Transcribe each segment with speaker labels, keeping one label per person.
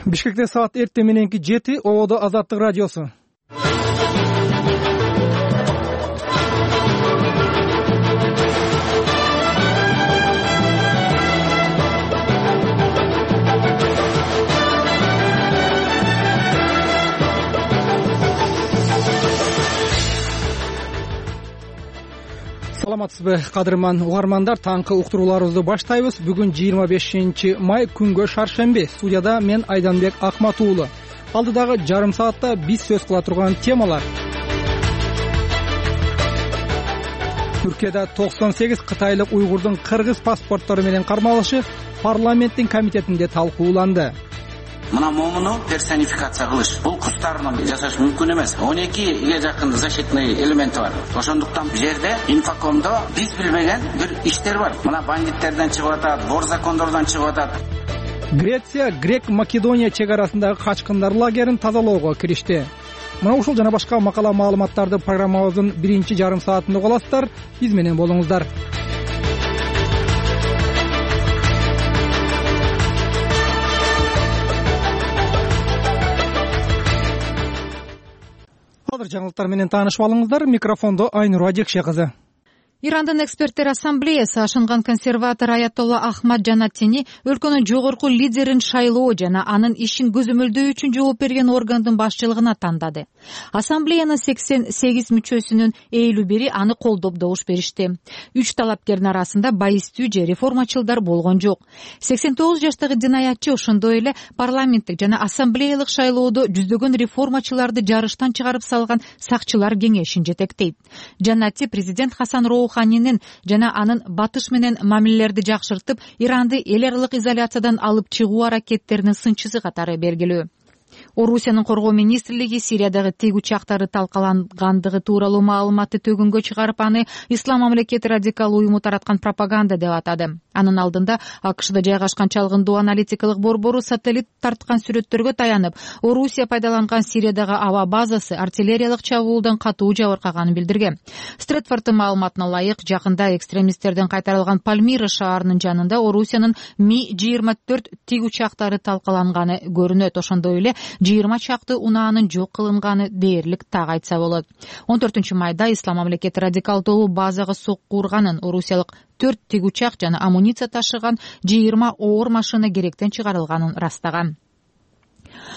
Speaker 1: Бишкекте саат эртең мененки 7, Ободо Азаттык радиосу. Саламатсызбы, кадырман угармандар, таңкы уктурууларыбызды баштайбыз. Бүгүн 25 май, күнгө шаршемби. Студияда мен Айданбек Акмат уулу. Алдыдагы жарым саатта биз сөз кыла турган темалар. Түркияда 98 кытайлык уйгурдун кыргыз паспорттору менен кармалышы парламенттин комитетинде талкууланды.
Speaker 2: Мына момуну персонификация кылыш, бул кустарын жасаш мүмкүн эмес. 12ге жакын защитный элементи бар. Ошондуктан бул жерде инфокомдо биз билбеген бир иштер бар. Мына бандиттерден чыгып атат, вор закондордон чыгып атат.
Speaker 1: Греция Грек-Македония чек арасындагы качкындар лагерин тазалоого киришти. Мына ушул жана башка макала маалыматтарды программабыздын биринчи жарым саатында уга аласыздар. Биз менен болуңуздар. Азыр жаңылыктар менен таанышып алыңыздар. Микрофондо Айнур Ажекше кызы.
Speaker 3: Ирандын эксперттер ассамблеясы ашынган консерватор Аятолла Ахмад Жанаттини өлкөнүн жогорку лидерин шайлоо жана анын ишин көзөмөлдөө үчүн жооп берген органдын башчылыгына тандады. Ассамблеянын 88 мүчөсүнүн 51 аны колдоп добуш беришти. 3 талапкердин арасында байистүү же реформачылдар болгон жок. 89 жаштагы динаятчы ошондой эле парламенттик жана ассамблеялык шайлоодо жүздөгөн реформачыларды жарыштан чыгарып салган сакчылар кеңешин жетектейт. Жанатти президент Хасан Роуханинин жана анын батыш менен мамилелерди жакшыртып, Иранды эл аралык изоляциядан алып чыгуу аракеттеринин сынчысы катары белгилүү. Орусиянын коргоо министрлиги Сириядагы тиг учактары талкалангандыгы тууралуу маалыматты төгүнгө чыгарып, аны Ислам мамлекети радикал уюму тараткан пропаганда деп атады. Анын алдында АКШда жайгашкан чалгындоо аналитикалык борбору сателлит тарткан сүрөттөргө таянып, Орусия пайдаланган Сириядагы аба базасы артиллериялык чабуулдан катуу жабыркаганын билдирген. Стретфордтун маалыматына ылайык, жакында экстремисттерден кайтарылган Пальмира шаарынын жанында Орусиянын Ми-24 тиг учактары талкаланганы көрүнөт. Ошондой эле 20 чакты унаанын жок кылынганы дээрлик так айтса болот. 14 майда Ислам мамлекети радикал тобу базага сокку урганын, орусиялык 4 тиг учак жана амуниция ташыган 20 оор машина керектен чыгарылганын растаган.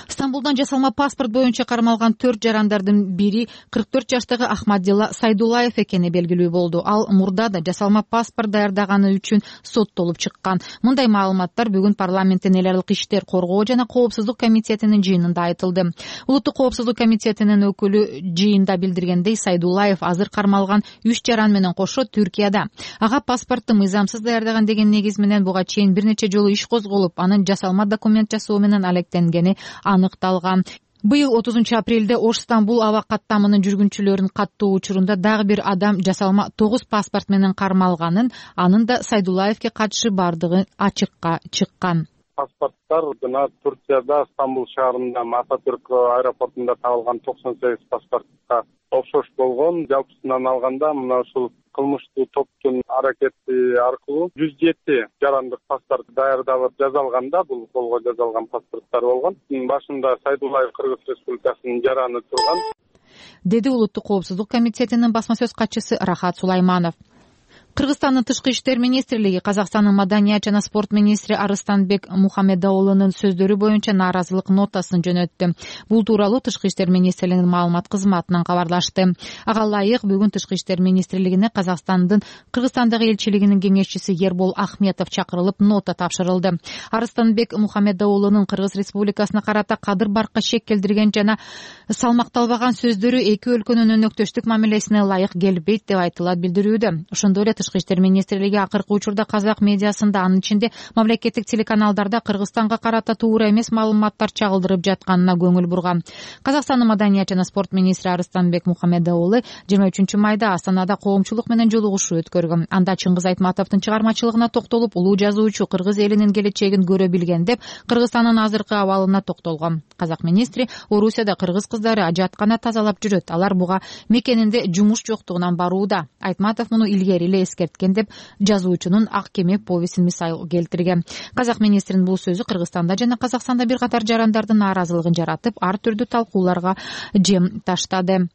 Speaker 3: Стамбулдан жасалма паспорт боюнча кармалган 4 жарандардын бири 44 жаштагы Ахмадилла Сайдулаев экени белгилүү болду. Ал мурда да жасалма паспорт даярдаганы үчүн соттолуп чыккан. Мындай маалыматтар бүгүн парламенттин эл аралык иштер коргоо жана коопсуздук комитетинин жыйынында айтылды. Улуттук коопсуздук комитетинин өкүлү жыйында билдиргендей, Сайдулаев азыр кармалган 3 жаран менен кошо Түркияда. Ага паспортту мыйзамсыз даярдаган деген негиз менен буга чейин бир нече жолу иш козголуп, анын жасалма документ жасоо менен алектенгени аныкталган. Быйыл 30 апрелде Ош-Стамбул аба каттамынын жүргүнчүлөрүнүн каттоо учурунда дагы бир адам жасалма 9 паспорт менен кармалганын, анын да Сайдулаевке катышы бардыгы ачыкка чыккан.
Speaker 4: Паспорттар жана Турцияда Стамбул шаарында Ататүрк аэропортунда табылган 98 паспортко окшош болгон. Жалпысынан алганда мына ушул кылмыштуу топтун аракети аркылуу 107 жарандык паспорт даярдалып жазалганда, бул колго жазалган паспорттар болгон. Башында Сайдулаев Кыргыз Республикасынын жараны турган,
Speaker 3: деди Улуттук коопсуздук комитетинин басма сөз катчысы Рахат Сулайманов. Кыргызстандын тышкы иштер министрлиги Казакстандын маданият жана спорт министри Арыстанбек Мухаммедоулунун сөздөрү боюнча нааразылык нотасын жөнөттү. Бул тууралуу тышкы иштер министрлигинин маалымат кызматынан кабарлашты. Ага ылайык, бүгүн тышкы иштер министрлигине Казакстандын Кыргызстандагы элчилигинин кеңешчиси Ербол Ахметов чакырылып, нота тапшырылды. Арыстанбек Мухаммедоулунун Кыргыз Республикасына карата кадыр баркка шек келтирген жана салмакталбаган сөздөрү эки өлкөнүн өнөктөштүк мамилесине ылайык келбейт деп айтылат билдирүүдө. Ошондой эле тышкы иштер министрлиги акыркы учурда казак медиасында, анын ичинде мамлекеттик телеканалдарда Кыргызстанга карата туура эмес маалыматтар чагылдырып жатканына көңүл бурган. Казакстандын маданият жана спорт министри Арыстанбек Мухаммедоулу 23 майда Астанада коомчулук менен жолугушуу өткөргөн. Анда Чыңгыз Айтматовдун чыгармачылыгына токтолуп, улуу жазуучу кыргыз элинин келечегин көрө билген деп, Кыргызстандын азыркы абалына токтолгон. Казак министри Орусияда кыргыз кыздары ажаткана тазалап жүрөт. Алар буга мекенинде жумуш жоктугунан барууда. Айтматов муну илгери эле эскерткен деп жазуучунун Ак кеме повестин мисал келтирген. Казак министринин бул сөзү Кыргызстанда жана Казакстанда бир катар жарандардын нааразылыгын жаратып, ар түрдүү талкууларга жем таштады.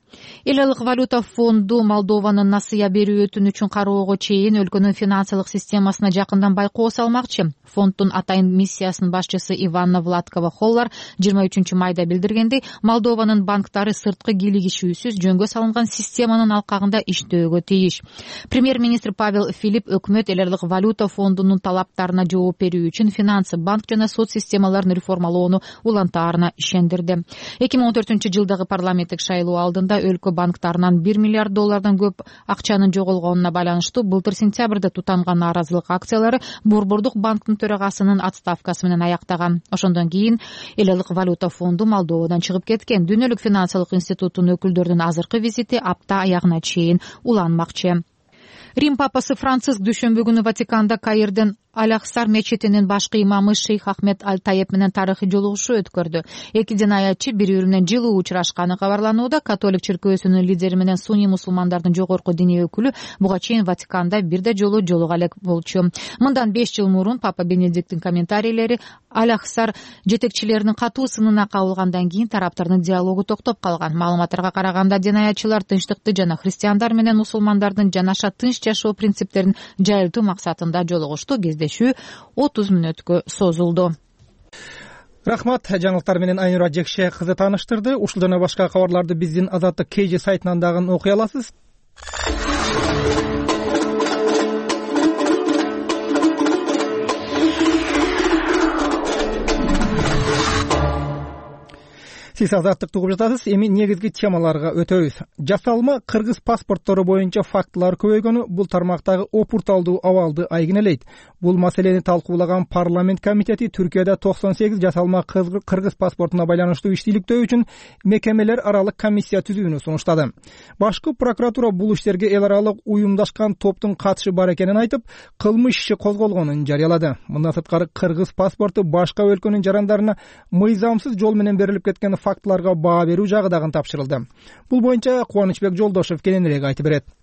Speaker 3: Эл айылык валюта фонду Молдованын насыя берүү өтүнүчүн кароого чейин өлкөнүн финансылык системасына жакындан байкоо салмакчы. Фонддун атайын миссиясынын башчысы Иванна Владкова-Холлар 23-майда билдиргендей, Молдованын банктары сырткы кийлигишүүсүз жөнгө салынган системанын алкагында иштөөгө тийиш. Премьер-министр Павел Филипп өкмөт эл айылык валюта фондунун талаптарына жооп берүү үчүн финансы, банк жана сот системаларын реформалоону улантаарына ишендирди. 2014-жылдагы парламенттик шайлоо алдында өлкө банктарынан $1 миллиард көп акчанын жоголгонуна байланыштуу былтыр сентябрда тутанган нааразылык акциялары Борбордук банктын төрагасынын отставкасы менен аяктаган. Ошондон кийин эл айылык валюта фонду Молдовадан чыгып кеткен. Дүйнөлүк финансылык институттун өкүлдөрүнүн азыркы визити апта аягына чейин уланмакчы. Рим папасы Франциск дүйшөмбү күнү Ватиканда Каирдин Аль-Ахсар мечитинин башкы имамы Шейх Ахмед Аль-Таеп менен тарыхый жолугушуу өткөрдү. Эки дин аятчы бири-бири менен жылуу учурашканы кабарланууда. Католик чиркөөсүнүн лидери менен сунний мусулмандардын жогорку диний өкүлү буга чейин Ватиканда бирде жолу жолуга элек болчу. Мындан 5 жыл мурун Папа Бенедикттин комментарийлери Аль-Ахсар жетекчилеринин катуу сынына кабылгандан кийин тараптардын диалогу токтоп калган. Маалыматтарга караганда дин аятчылар тынчтыкты жана христиандар менен мусулмандардын жанаша тынч жашоо принциптерин жайылтуу максатында жолугушту. 30 мүнөткө созулду.
Speaker 1: Рахмат, жаңылыктар менен Айнура Жекше кызы тааныштырды. Ушул жана башка кабарларды биздин Азаттык KG сайтынан дагы окуй аласыз. Сиз Азаттыкты угуп жатасыз. Эми негизги темаларга өтөбүз. Жасалма кыргыз паспорттору боюнча фактылар көбөйгөнү бул тармактагы опурталдуу абалды айгинелейт. Бул маселени талкуулаган парламент комитети Түркияда 98 жасалма кыргыз паспортуна байланыштуу иштийликтөө үчүн мекемелер аралык комиссия түзүүнү сунуштады. Башкы прокуратура бул иштерге эл аралык уюмдашкан топтун катышы бар экенин айтып, кылмыш иши козголгонун жарыялады. Мындан сырткары кыргыз паспорту башка өлкөнүн жарандарына мыйзамсыз жол менен берилип кеткен фактыларга баа берүү жагы дагы тапшырылды. Бул боюнча Кубанычбек Жолдошев кененирээк айтып берет.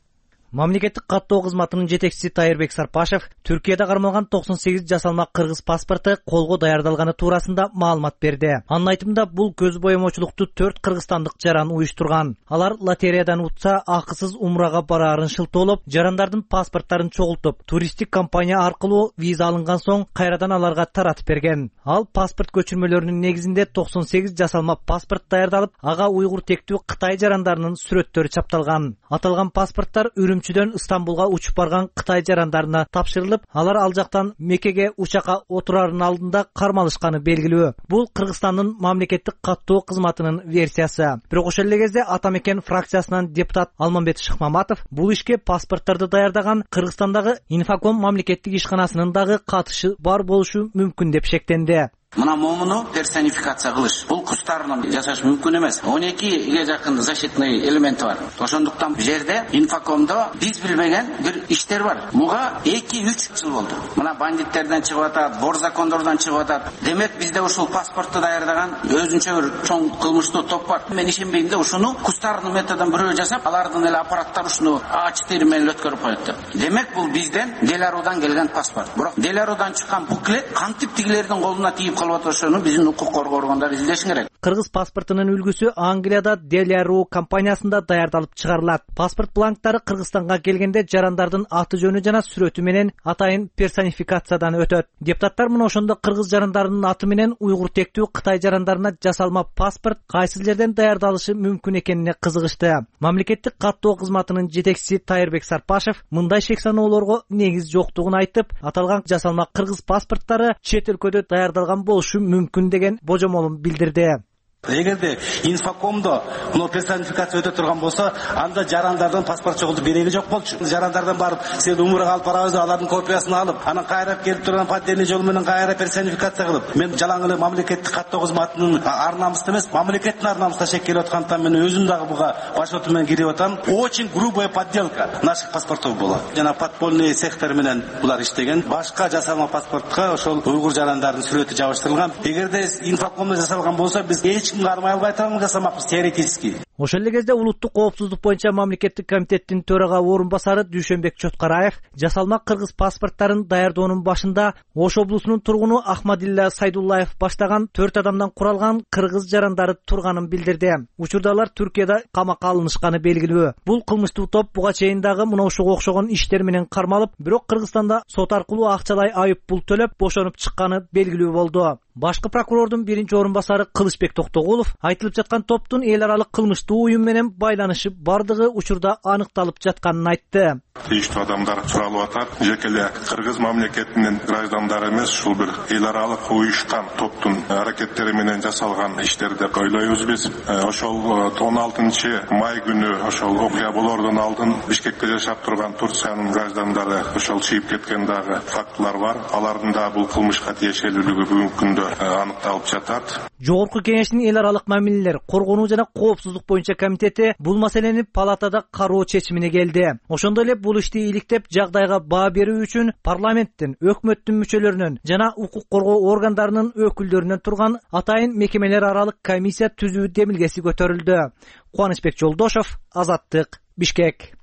Speaker 5: Мамлекеттик каттоо кызматынын жетекчиси Тайырбек Сарпашев Түркияда кармалган 98 жасалма кыргыз паспорту колго даярдалганы туурасында маалымат берди. Анын айтымында бул көз боемочулукту 4 кыргызстандык жаран уюштурган. Алар лотереядан утса акысыз умрага бараарын шылтоолоп, жарандардын паспорттарын чогултуп, туристтик компания аркылуу виза алынган соң кайрадан аларга таратып берген. Ал паспорт көчүрмөлөрүнүн негизинде 98 жасалма паспорт даярдалып, ага уйгур тектүү Кытай жарандарынын сүрөттөрү чапталган. Аталган паспорттар Үрүмчүдөн Стамбулга учуп барган Кытай жарандарына тапшырылып, алар ал жактан Меккеге учакка отурарынын алдында кармалышканы белгилүү. Бул Кыргызстандын мамлекеттик каттоо кызматынын версиясы. Бирок ошол эле кезде Ата Мекен фракциясынан депутат Алмамбет Шыкмаматов бул ишке паспортторду даярдаган Кыргызстандагы Инфоком мамлекеттик ишканасынын дагы катышы бар болушу мүмкүн деп шектенди.
Speaker 2: Мына момуну персонификация кылыш. Бул кустарын жасаш мүмкүн эмес. 12ге жакын защитный элементи бар. Ошондуктан бул жерде Инфокомдо биз билбеген бир иштер бар. Буга 2-3 жыл болду. Мына бандиттерден чыгып атат, бор закондордон чыгып атат. Демек бизде ушул паспортду даярдаган өзүнчө бир чоң кылмыштуу топ бар. Мен ишенбейм да ушуну кустарын методдон бирөө жасап, алардын эле аппараттары ушуну А4 менен өткөрүп коет деп. Демек бул бизден Деларудан келген паспорт. Бирок Деларудан чыккан буклет кантип тигилердин колуна тиип ошону биздин укук коргоо органдары излешин керек.
Speaker 5: Кыргыз паспортунун үлгүсү Англияда Деляру компаниясында даярдалып чыгарылат. Паспорт бланктары Кыргызстанга келгенде жарандардын аты жөнү жана сүрөтү менен атайын персонификациядан өтөт. Депутаттар мына ошондо кыргыз жарандарынын аты менен уйгур тектүү Кытай жарандарына жасалма паспорт кайсы жерден даярдалышы мүмкүн экенине кызыгышты. Мамлекеттик каттоо кызматынын жетекчиси Тайырбек Сарпашев мындай шек саноолорго негиз жоктугун айтып, аталган жасалма кыргыз паспорттары чет өлкөдө даярдалган болушу мүмкүн деген божомолун билдирди.
Speaker 6: Эгерде Инфокомдо мына персонификация өтө турган болсо, анда жарандардын паспорт чогултуп кереги жок болчу. Жарандардан барып, сен умурга алып барабыз деп алардын копиясын алып, анан кайрап келип турган поддельный жол менен кайра персонификация кылып, мен жалаң эле мамлекеттик каттоо кызматынын ар намысы эмес, мамлекеттин ар намысына шек келип аткандыктан мен өзүм дагы буга башоту менен кирип атам. Очень грубая подделка наших паспортов была. Жана подпольный цехтер менен булар иштеген. Башка жасалма паспортко ошол уйгур жарандардын сүрөтү жабыштырылган. Эгерде Инфокомдо жасалган болсо, биз кармай албай турганын жасамакпыз теоретически.
Speaker 5: Ошол эле кезде улуттук коопсуздук боюнча мамлекеттик комитеттин төрага орун басары Дүйшөнбек Чоткараев жасалма кыргыз паспорттарын даярдоонун башында Ош облусунун тургуну Ахмадилла Сайдуллаев баштаган 4 адамдан куралган кыргыз жарандары турганын билдирди. Учурда алар Түркияда камакка алынышканы белгилүү. Бул кылмыштуу топ буга чейин дагы мына ушуга окшогон иштер менен кармалып, бирок Кыргызстанда сот аркылуу акчалай айып пул төлөп бошонуп чыкканы белгилүү болду. Башкы прокурордун биринчи орун басары Кылычбек Токтогулов айтылып жаткан топтун эл аралык кылмыштуу уюм менен байланышы бардыгы учурда аныкталып жатканын айтты.
Speaker 7: Тийиштүү адамдар суралып атат. Жеке эле кыргыз мамлекетинин граждандары эмес, ушул бир эл аралык уюшкан топтун аракеттери менен жасалган иштер деп ойлойбуз биз. Ошол 16 май күнү ошол окуя болоордон алдын Бишкекте жашап турган Турциянын граждандары ошол чыйып кеткен дагы фактылар бар. Алардын да бул кылмышка тиешелүүлүгү бүгүнкү күндө аныкталып жатат.
Speaker 5: Жогорку кеңештин эл аралык мамилелер, коргонуу жана коопсуздук боюнча комитети бул маселени палатада кароо чечимине келди. Ошондой эле бул ишти иликтеп жагдайга баа берүү үчүн парламенттин, өкмөттүн мүчөлөрүнүн жана укук коргоо органдарынын өкүлдөрүнөн турган атайын мекемелер аралык комиссия түзүү демилгеси көтөрүлдү. Кубанычбек Жолдошов, Азаттык, Бишкек.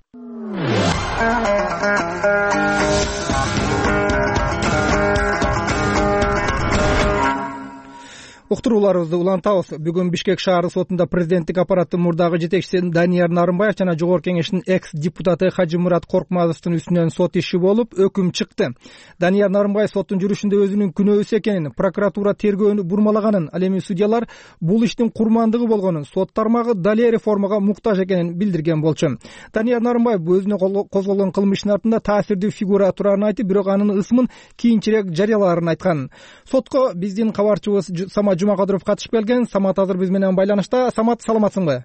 Speaker 1: Уктурууларыбызды улантабыз. Бүгүн Бишкек шаары сотунда президенттик аппараттын мурдагы жетекчиси Данияр Нарымбаев жана Жогорку кеңештин экс-депутаты Хажимурат Коркмазовдун үстүнөн сот иши болуп, өкүм чыкты. Данияр Нарымбаев соттун жүрүшүндө өзүнүн күнөөсү экенин, прокуратура тергөөнү бурмалаганын, ал эми судьялар бул иштин курмандыгы болгонун, сот тармагы далее реформага муктаж экенин билдирген болчу. Данияр Нарымбаев өзүнө козголгон кылмыштын артында таасирдүү фигура турарын айтып, бирок анын ысмын кийинчерээк жарыялаарын айткан. Сотко биздин кабарчыбыз Самат Жумакадыров катышып келген. Самат азыр биз менен байланышта. Самат, саламатсыңбы?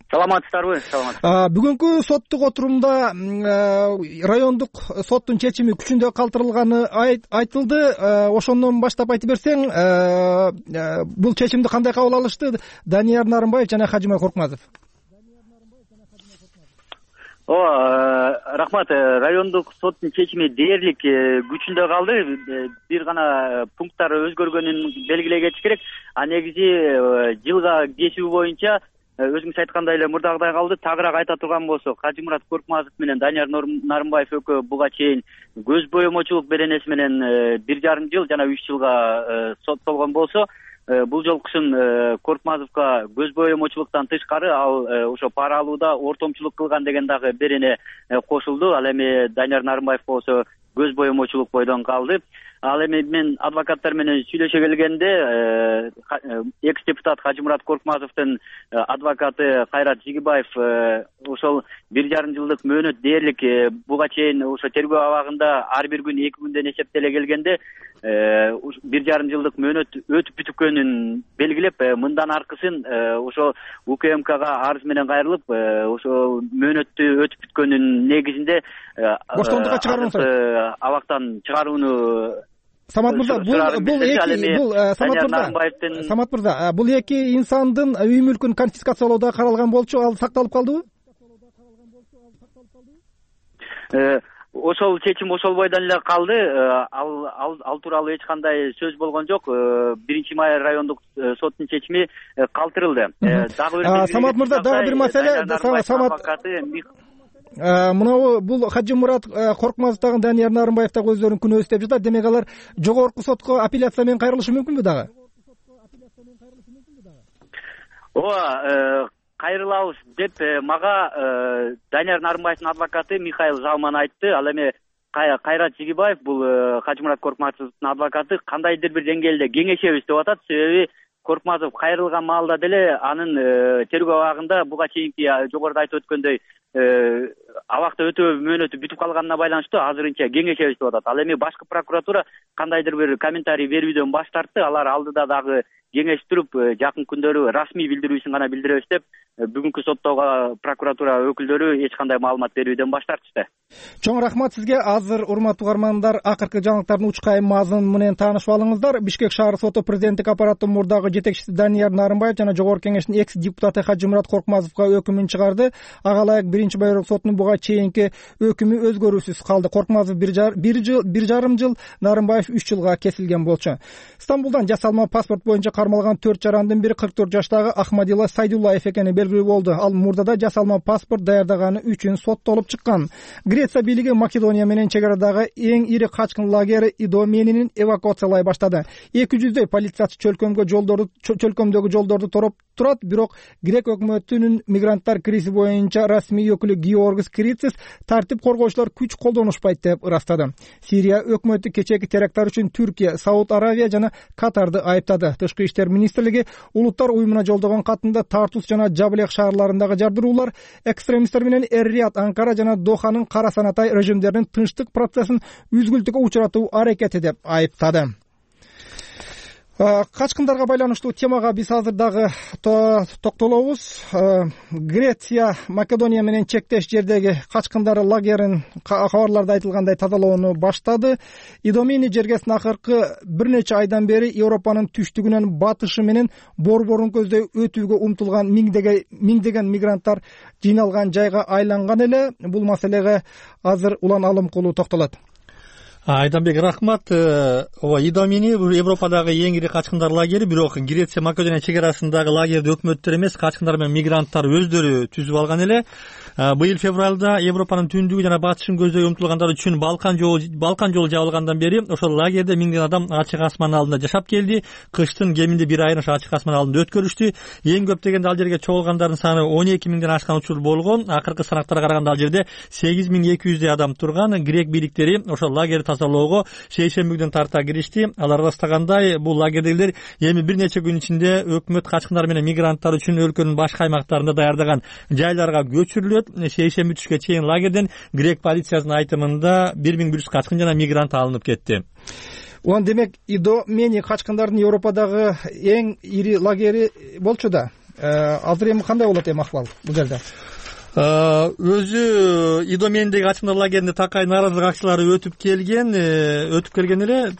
Speaker 8: Саламатсыздарбы?
Speaker 1: Бүгүнкү соттук отурумда райондук соттун чечими күчүндө калтырылганы айтылды. Ошондон баштап айтып берсең, бул чечимди кандай кабыл алышты Данияр Нарымбаев жана Хажимурат Коркмазов?
Speaker 8: Рахмат. Райондук соттун чечими дээрлик күчүндө калды. Бир гана пункттары өзгөргөнүн белгилей кетиш керек. А негизи жылга кесүү боюнча өзүңүз айткандай эле мурдагыдай калды. Тагыраак айта турган болсок, Хажимурат Коркмазов менен Данияр Нарымбаев экөө буга чейин көз боемочулук беренеси менен 1,5 жыл жана 3 жылга соттолгон болсо, бул жолкусун Коркмазовго көз боемочулуктан тышкары ал ошо пара алууда ортомчулук кылган деген дагы берене кошулду. Ал эми Данияр Нарымбаев болсо көз боемочулук бойдон калды. Ал эми мен адвокаттар менен сүйлөшө келгенде экс-депутат Хажимурат Коркмазовдун адвокаты Кайрат Жигибаев ошол 1,5 жылдык мөөнөт дээрлик буга чейин ошо тергөө абагында ар бир күн 2 күндөн эсептеле келгенде 1,5 жылдык мөөнөт өтүп бүткөнүн белгилеп, мындан аркысын ошо УКМКга арыз менен кайрылып, ошо мөөнөттү өтүп бүткөнүн негизинде
Speaker 1: боштондукка чыгарууну
Speaker 8: абактан чыгарууну.
Speaker 1: Самат мырза, Самат мырза, бул эки инсандын үй мүлкүн конфискациялоодо каралган болчу, ал сакталып калдыбы?
Speaker 8: Ошол чечим ошол бойдон эле калды. Ал тууралуу эч кандай сөз болгон жок. 1 май райондук соттун чечими калтырылды.
Speaker 1: Самат мырза, дагы бир маселе. Мынабу бул Хажимурат Коркмазов дагы Данияр Нарымбаев дагы өздөрүнүн күнөөсү деп жатат. Демек алар жогорку сотко апелляция менен кайрылышы мүмкүнбү дагы?
Speaker 8: Кайрылабыз деп мага Данияр Нарымбаевдин адвокаты Михаил Жалман айтты. Ал эми Кайрат Жигибаев, бул Хажимурат Коркмазовдун адвокаты, кандайдыр бир деңгээлде кеңешебиз деп атат. Себеби Коркмазов кайрылган маалда деле анын тергөө абагында буга чейинки жогоруда айтып өткөндөй абакта өтөө мөөнөтү бүтүп калганына байланыштуу азырынча кеңешебиз деп атат. Ал эми башкы прокуратура кандайдыр бир комментарий берүүдөн баш тартты. Алар алдыда дагы кеңештирип, жакын күндөрү расмий билдирүүсүн гана билдиребиз деп, бүгүнкү соттоого прокуратура өкүлдөрү эч кандай маалымат берүүдөн баш тартышты.
Speaker 1: Чоң рахмат сизге. Азыр урматтуу угармандар, акыркы жаңылыктардын учкайым мазмуну менен таанышып алыңыздар. Бишкек шаар соту президенттик аппараттын мурдагы жетекчиси Данияр Нарымбаев жана Жогорку кеңештин экс-депутаты Хажимурат Коркмазовго өкүмүн чыгарды. Ага ылайык 1 байырок сотунун буга чейинки өкүмү өзгөрүүсүз калды. Коркмазов 1,5 жыл, Нарымбаев 3 жылга кесилген болчу. Стамбулдан жасалма паспорт боюнча кармалган 4 жарандын бири 44 жаштагы Ахмадилла Сайдуллаев экени белгилүү болду. Ал мурдада жасалма паспорт даярдаганы үчүн соттолуп чыккан. Греция бийлиги Македония менен чек арадагы эң ири качкын лагери Идоменинин эвакуациялай баштады. 200дөй полициячы чөлкөмдөгү жолдорду тороп турат, бирок грек өкмөтүнүн мигранттар кризи боюнча расмий өкүлү Георгис Крицис тартип коргоочулар күч колдонушпайт деп ырастады. Сирия өкмөтү кечээки теракттар үчүн Түркия, Сауд Аравия жана Катарды айыптады. Тышкы иштер министрлиги улуттар уюмуна жолдогон катында Тартус жана Жаблек шаарларындагы жардыруулар, экстремисттер менен Эр-Рияд, Анкара жана Доханын кара санатай режимдеринин тынчтык процессин үзгүлтүккө учуратуу аракети деп айыптады. Качкындарга байланыштуу темага биз азыр дагы токтолобуз. Греция Македония менен чектеш жердеги качкындар лагерин кабарларда айтылгандай тазалоону баштады. Идомени жергесин акыркы бир нече айдан бери Европанын түштүгүнөн батышы менен борборун көздөй өтүүгө умтулган миңдеген мигранттар жыйналган жайга айланган эле. Бул маселеге азыр Улан Алымкулуу токтолот.
Speaker 9: Айданбек, рахмат. Идомени Европадагы эң ири качкындар лагери, бирок Греция Македония чек арасындагы лагерди өкмөттөр эмес, качкындар менен мигранттар өздөрү түзүп алган эле. Быйыл февралда Европанын түндүгү жана батышын көздөй умтулгандар үчүн Балкан жолу жабылгандан бери ошол лагерде миңдеген адам ачык асман алдында жашап келди. Кыштын кеминде бир айын ошо ачык асман алдында өткөрүштү. Эң көп дегенде ал жерге чогулгандардын саны 12 миңден ашкан учур болгон. Акыркы санактарга караганда ал жерде 8200 адам турган. Грек бийликтери ошол лагерди тазалоого шейшемби күнүнөн тарта киришти. Алар ырастагандай, бул лагердегилер эми бир нече күн ичинде өкмөт качкындар менен мигранттар үчүн өлкөнүн башка аймактарында даярдаган жайларга көчүрүлөт. Шейшемби түшкө чейин лагерден грек полициясынын айтымында 1100 качкын жана мигрант алынып кетти.
Speaker 1: Улан, демек Идомени качкындардын Европадагы эң ири лагери болчу да. Азыр эми кандай болот ахвал бул жерде?
Speaker 9: Өзү Идомендеги качкындар лагеринде такай нааразылык акциялары өтүп келген эле.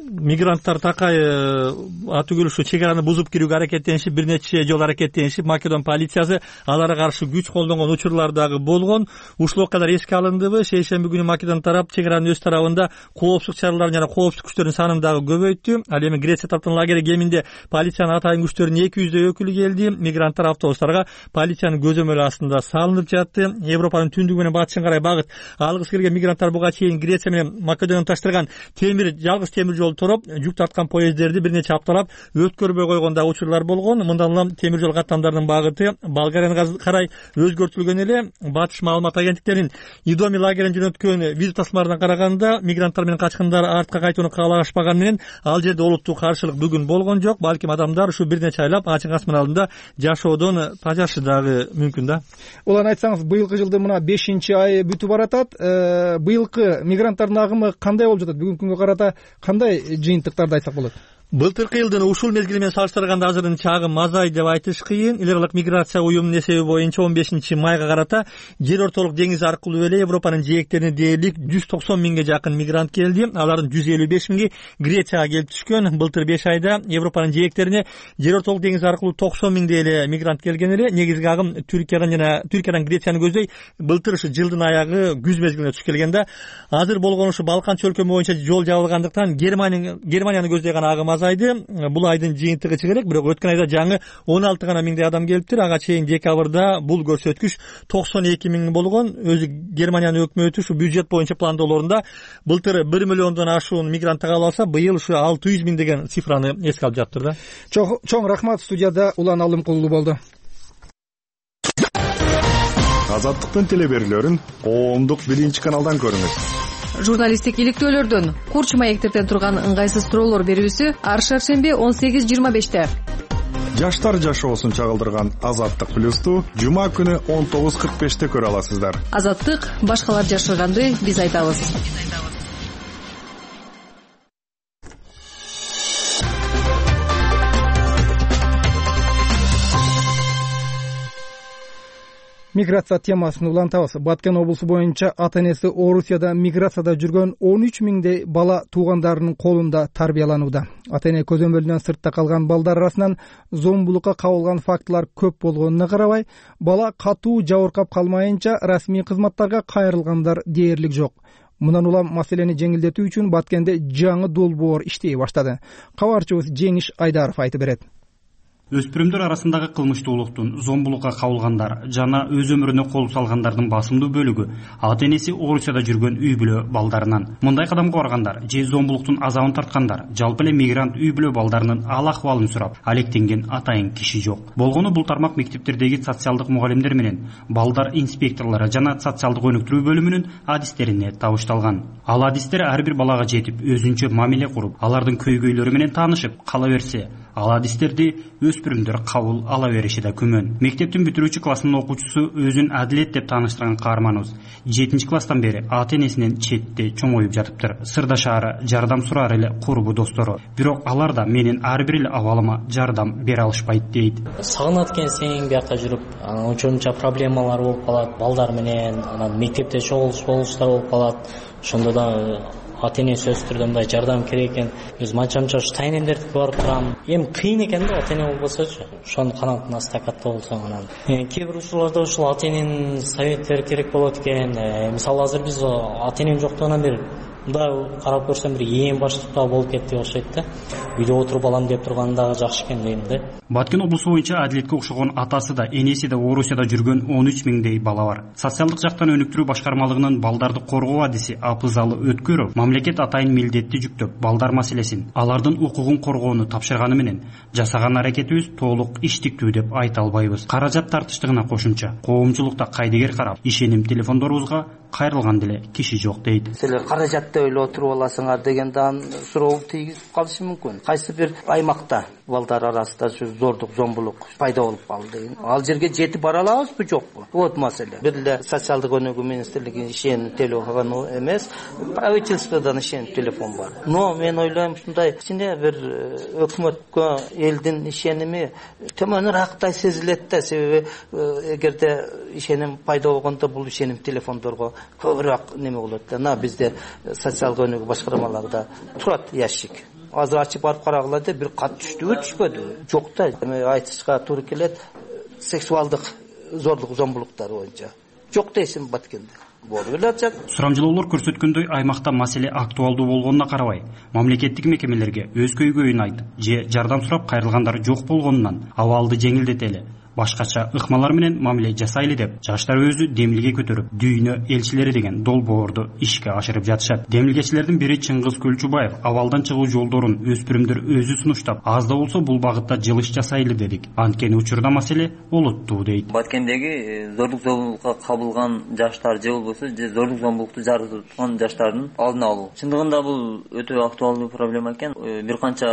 Speaker 9: Мигранттар такай атүгүл ушу чек араны бузуп кирүүгө аракеттенишип, бир нече жолу аракеттенишип, Македон полициясы аларга каршы күч колдонгон учурлар дагы болгон. Ушул окуялар эске алындыбы? Шейшемби күнү Македон тарап чек аранын өз тарабында коопсуздук чараларын жана коопсуздук күчтөрүнүн санын дагы көбөйттү. Ал эми Греция тараптан лагери кеминде полициянын атайын күчтөрүнүн 200дөй өкүлү келди. Мигранттар автобустарга полициянын көзөмөлү астында салынып жатты. Европанын түндүгү менен батышына карай багыт алгысы келген мигранттар буга чейин Греция менен Македонияны таштырган жалгыз темир жол тороп, жүк тарткан поездерди бир нече апталап өткөрбөй койгон да учурлар болгон. Мындан улам темир жол каттамдарынын багыты Болгарияга карай өзгөртүлгөн эле. Батыш маалымат агенттиктеринин Идоми лагерин жөнөткөн видео тасмаларына караганда, мигранттар менен качкындар артка кайтууну каалашпаган менен ал жерде олуттуу каршылык бүгүн болгон жок. Балким адамдар ушу бир нече айлап ачык асман алдында жашоодон тажашы дагы мүмкүн да.
Speaker 1: Улан, айтсаңыз, быйылкы жылдын мына 5-айы бүтүп баратат. Быйылкы мигранттардын агымы кандай болуп жатат? Бүгүнкү күнгө карата кандай жыйынтыктарды айтсак болот?
Speaker 9: Былтыркы жылдын ушул мезгили менен салыштырганда азырынын чагым азайды деп айтыш кыйын. Эл миграция уюмунун эсеби боюнча 15 майга карата жер ортолук деңиз аркылуу эле Европанын жээктерине дээрлик 190 миңге жакын мигрант келди. Алардын 155 миңи Грецияга келип түшкөн. Былтыр 5 айда Европанын жээктерине жер ортолук деңиз аркылуу 90 миңдей эле мигрант келген эле. Негизги агым Түркиядан Грецияны көздөй былтыр ушу жылдын аягы күз мезгилине түшүп келген да. Азыр болгон ушу Балкан чөлкөмү боюнча жол жабылгандыктан Германияны көздөйгөн агым азайды. Бул айдын жыйынтыгы чыгарак, бирок өткөн айда жаңы 16 гана миңдей адам келиптир. Ага чейин декабрда бул көрсөткүч 92 миң болгон. Өзү Германиянын өкмөтү ушу бюджет боюнча пландоолорунда былтыр 1 миллиондон ашуун мигрант кабыл алса, быйыл ушу 600 миң деген цифраны эске алып жатыр да.
Speaker 1: Чоң рахмат. Студияда Улан Алымкулуу болду.
Speaker 10: Азаттыктын телеберүүлөрүн коомдук 1-каналдан көрүңүз.
Speaker 11: Журналисттик иликтөөлөрдөн, курч маектерден турган ыңгайсыз суроолор берүүсү ар шаршемби 18:25-те.
Speaker 10: Жаштар жашоосун чагылдырган Азаттык плюсту жума күнү 19:45-те көрө аласыздар.
Speaker 11: Азаттык башкалар жашырганды биз айтабыз.
Speaker 1: Миграция темасын улантабыз. Баткен облусу боюнча ата энеси Орусияда миграцияда жүргөн 13 миңдей бала туугандарынын колунда тарбияланууда. Ата эне көзөмөлүнөн сыртта калган балдар арасынан зомбулукка кабылган фактылар көп болгонуна карабай, бала катуу жабыркап калмайынча расмий кызматтарга кайрылгандар дээрлик жок. Мындан улам маселени жеңилдетүү үчүн Баткенде жаңы долбоор иштей баштады. Кабарчыбыз Жеңиш Айдаров айтып берет.
Speaker 12: Өспүрүмдөр арасындагы кылмыштуулуктун, зомбулукка кабылгандар жана өз өмүрүнө кол салгандардын басымдуу бөлүгү ата энеси Орусияда жүргөн үй бүлө балдарынан. Мындай кадамга баргандар же зомбулуктун азабын тарткандар, жалпы эле мигрант үй бүлө балдарынын ал акыбалын сурап, алектенген атайын киши жок. Болгону бул тармак мектептердеги социалдык мугалимдер менен балдар инспекторлору жана социалдык өнүктүрүү бөлүмүнүн адистерине табышталган. Ал адистер ар бир балага жетип, өзүнчө мамиле куруп, алардын көйгөйлөрү менен таанышып кала берсе, ал адистерди өспүрүмдөр кабыл ала бериши да күмөн. Мектептин бүтүрүүчү классынын окуучусу өзүн Адилет деп тааныштырган каарманыбыз 7-класстан бери ата энесинен четте чоңоюп жатыптыр. Сырдашаары, жардам сураар эле курбу достору. Бирок алар да менин ар бир эле абалыма жардам бере алышпайт дейт.
Speaker 13: Сагынат экенсиң, биякка жүрүп, ошончо проблемалар болуп калат, балдар менен, анан мектепте чогулуштар болуп калат. Ошондо да ата энеси өстүрдө мындай жардам керек экен. Өз манчамча ушу тайнемдерди барып турам. Эми кыйын экен да, ата эне болбосочу. Ошонун канатына стакатта болсоң анан. Кээ бир учурларда ушул ата эненин советтери керек болот экен. Мисалы азыр биз ата энем жоктугунан бери мындай карап көрсөм бир ээн баштыкта болуп кетти окшойт да. Үйдө отуруп алам деп турган дагы жакшы экен дейм да.
Speaker 12: Баткен облусу боюнча Адилетке окшогон атасы да, энеси да Орусияда жүргөн 13 миңдей бала бар. Социалдык жактан өнүктүрүү башкармалыгынын балдарды коргоо адиси Апызалы Өткөров мамлекет атайын милдетти жүктөп, балдар маселесин, алардын укугун коргоону тапшырганы менен жасаган аракетибиз толук иштиктүү деп айта албайбыз. Каражат тартыштыгына кошумча, коомчулукта кайдыгер карап, ишеним телефондорубузга кайрылган деле киши жок дейт.
Speaker 14: Силер каражатты ойлоп отуруп аласыңар дегенден суроо тийгизип калышы мүмкүн. Кайсы бир аймакта балдар арасында зордук, зомбулук пайда болуп калды. Ал жерге жетип бара алабызбы, жокпу? Вот маселе. Бир эле социалдык өнүгүү министрлигинин ишеним телефону эмес, правительстводон ишеним телефон бар. Но мен ойлойм, ушундай кичине бир өкмөткө элдин ишеними төмөнүрөөктай сезилет да. Себеби эгерде ишеним пайда болгондо бул ишеним телефондорго көбүрөөк неме болот да. Бизде социалдык өнүгүү башкармаларында турат ящик. Азыр ачып барып карагыла деп бир кат түштүбү, түшпөдү? Жок да. Айтышка туура келет. Сексуалдык зордук, зомбулуктар боюнча жок дейсиң Баткенде. Болуп эле атат.
Speaker 12: Сурамжылоолор көрсөткөндөй, аймакта маселе актуалдуу болгонуна карабай, мамлекеттик мекемелерге өз көйгөйүн айтып, же жардам сурап кайрылгандар жок болгонунан абалды жеңилдетели, башкача ыкмалар менен мамиле жасайлы деп жаштар өзү демилге көтөрүп, дүйнө элчилери деген долбоорду ишке ашырып жатышат. Демилгечилердин бири Чыңгыз Көлчүбаев абалдан чыгуу жолдорун өспүрүмдөр өзү сунуштап, аз да болсо бул багытта жылыш жасайлы дедик. Анткени учурда маселе олуттуу дейт.
Speaker 15: Баткендеги зордук зомбулукка кабылган жаштар же болбосо зордук зомбулукту жараткан жаштардын алдын алуу. Чындыгында бул өтө актуалдуу проблема экен. Бир канча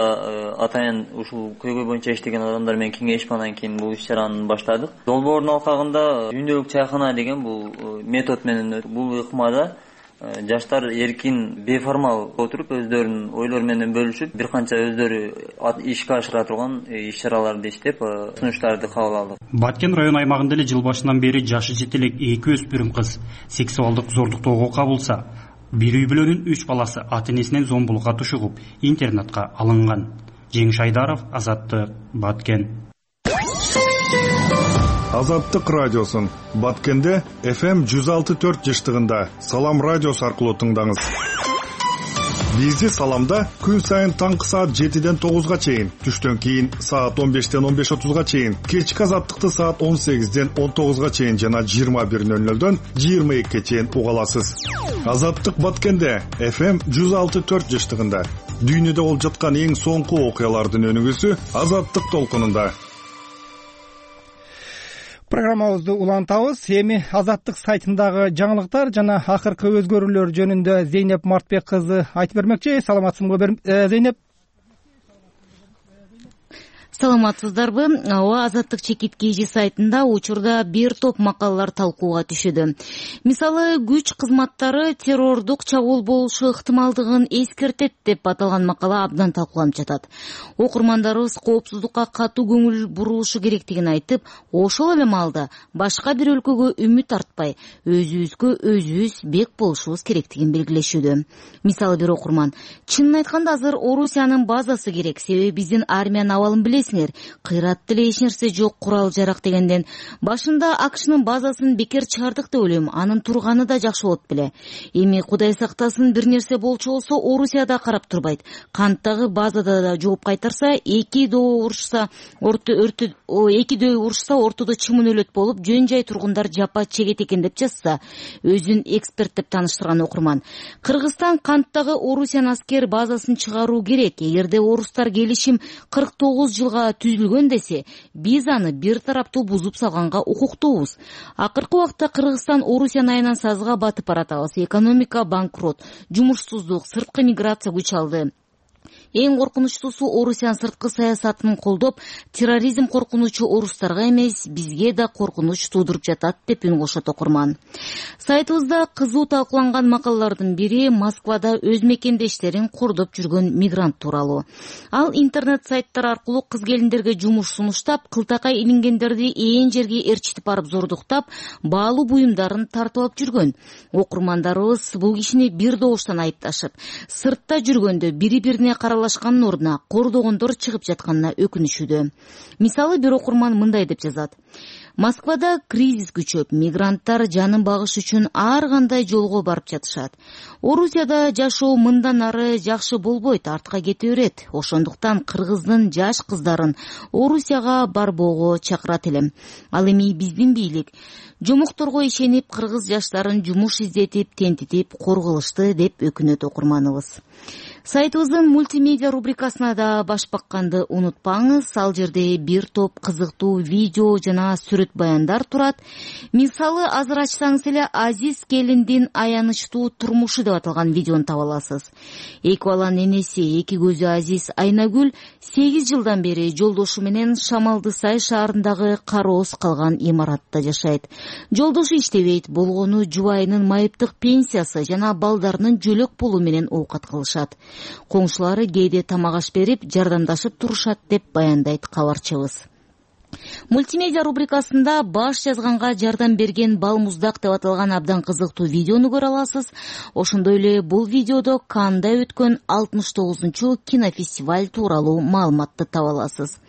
Speaker 15: атайын ушул көйгөй боюнча иштеген адамдар менен кеңешип анан кийин бул иш-чараны баштадык. Долбоордун алкагында дүйнөлүк чайкана деген бул метод менен бул ыкмада жаштар эркин, беформал отуруп өздөрүнүн ойлору менен бөлүшүп, бир канча өздөрү ишке ашыра турган иш-чараларды иштеп, сунуштарды кабыл алдык.
Speaker 12: Баткен район аймагында эле жыл башынан бери жашы жете элек 2 өспүрүм кыз сексуалдык зордуктоого кабылса, бир үй бүлөнүн 3 баласы ата энесинен зомбулукка тушугуп, интернатка алынган. Жеңиш Айдаров, Азаттык, Баткен.
Speaker 10: Азаттык радиосун Баткенде FM 106.4 жыштыгында Салам радиосу аркылуу тыңдаңыз. Бизди Саламда күн сайын таңкы саат 7-ден 9-га чейин, түштөн кийин саат 15-ден 15:30-га чейин, кечки Азаттыкты саат 18-ден 19-га чейин жана 21:00-дөн 22-ге чейин уга аласыз. Азаттык Баткенде FM 106.4 жыштыгында дүйнөдө болуп жаткан эң соңку окуялардын өнүгүүсү Азаттык толкунунда.
Speaker 1: Программабызды улантабыз. Эми Азаттык сайтындагы жаңылыктар жана акыркы өзгөрүүлөр жөнүндө Зейнеп Мартбек кызы айтып бермекчи. Саламатсыңбы Зейнеп?
Speaker 16: саламатсыздарбы? Ооба, Азаттык чекит KG сайтында учурда бир топ макалалар талкууга түшүүдө. Мисалы, күч кызматтары террордук чабуул болушу ыктымалдыгын эскертет деп аталган макала абдан талкууланып жатат. Окурмандарыбыз коопсуздукка катуу көңүл бурулушу керектигин айтып, ошол эле маалда башка бир өлкөгө үмүт артпай, өзүбүзгө өзүбүз бек болушубуз керектигин белгилешүүдө. Мисалы, бир окурман: чынын айтканда азыр Орусиянын базасы керек, себеби биздин армиянын абалын билесиңер, кыйратты эле эч нерсе жок, курал-жарак дегенден. Башында АКШнын базасын бекер чыгардык деп ойлойм, анын турганы да жакшы болот беле. Эми Кудай сактасын, бир нерсе болчу болсо Орусияда карап турбайт. Канттагы базада да жооп кайтарса, эки дөй урушса ортодо чымын өлөт болуп, жөн жай тургундар жапа чегет экен деп жазса, өзүн эксперт деп тааныштырган окурман. Кыргызстан канттагы Орусиянын аскер базасын чыгаруу керек. Эгерде орустар келишим 49 жылга түзүлгөн десе, биз аны бир тараптуу бузуп салганга укуктуубуз. Акыркы убакта Кыргызстан Орусиянын айынан сазга батып баратабыз. Экономика банкрот, жумушсуздук, сырткы миграция күч алды. Эң коркунучтуусу, Орусиянын сырткы саясатын колдоп, терроризм коркунучу орустарга эмес, бизге да коркунуч туудуруп жатат деп үн кошот окурман. Сайтыбызда кызуу талкууланган макалалардын бири Москвада өз мекендештерин кордоп жүргөн мигрант тууралуу. Ал интернет сайттар аркылуу кыз келиндерге жумуш сунуштап, кылтакай илингендерди ээн жерге ээрчитип барып зордуктап, баалуу буюмдарын тартып алып жүргөн. Окурмандарыбыз бул кишини бир добуштан айыпташып, сыртта жүргөндө бири-бирине каралашкандын ордуна кордогондор чыгып жатканына өкүнүшүүдө. Мисалы, бир окурман мындай деп жазат: Москвада кризис күчөп, мигранттар жанын багыш үчүн ар кандай жолго барып жатышат. Орусияда жашоо мындан ары жакшы болбойт, артка кете берет. Ошондуктан кыргыздын жаш кыздарын Орусияга барбоого чакырат элем. Ал эми биздин бийлик жомокторго ишенип, кыргыз жаштарын жумуш издетип, тентитип корголушты деп өкүнөт окурманыбыз. Сайтыбыздын мультимедиа рубрикасына да баш бакканды унутпаңыз. Ал жерде бир топ кызыктуу видео жана сүрөт баяндар турат. Мисалы, азыр ачсаңыз эле Азиз келиндин аянычтуу турмушу деп аталган видеону таба аласыз. Эки баланын энеси, эки көзү Азиз Айнагүл 8 жылдан бери жолдошу менен Шамалдысай шаарындагы кароос калган имаратта жашайт. Жолдошу иштебейт, болгону жубайынын майыптык пенсиясы жана балдарынын жөлөк пулу менен оокат кылышат. Коңшулары кээде тамак аш берип, жардамдашып турушат деп баяндайт кабарчыбыз. Мультимедиа рубрикасында баш жазганга жардам берген Балмуздак деп аталган абдан кызыктуу видеону көрө аласыз. Ошондой эле бул видеодо Канда өткөн 69-чу кинофестиваль тууралуу маалыматты таба аласыз.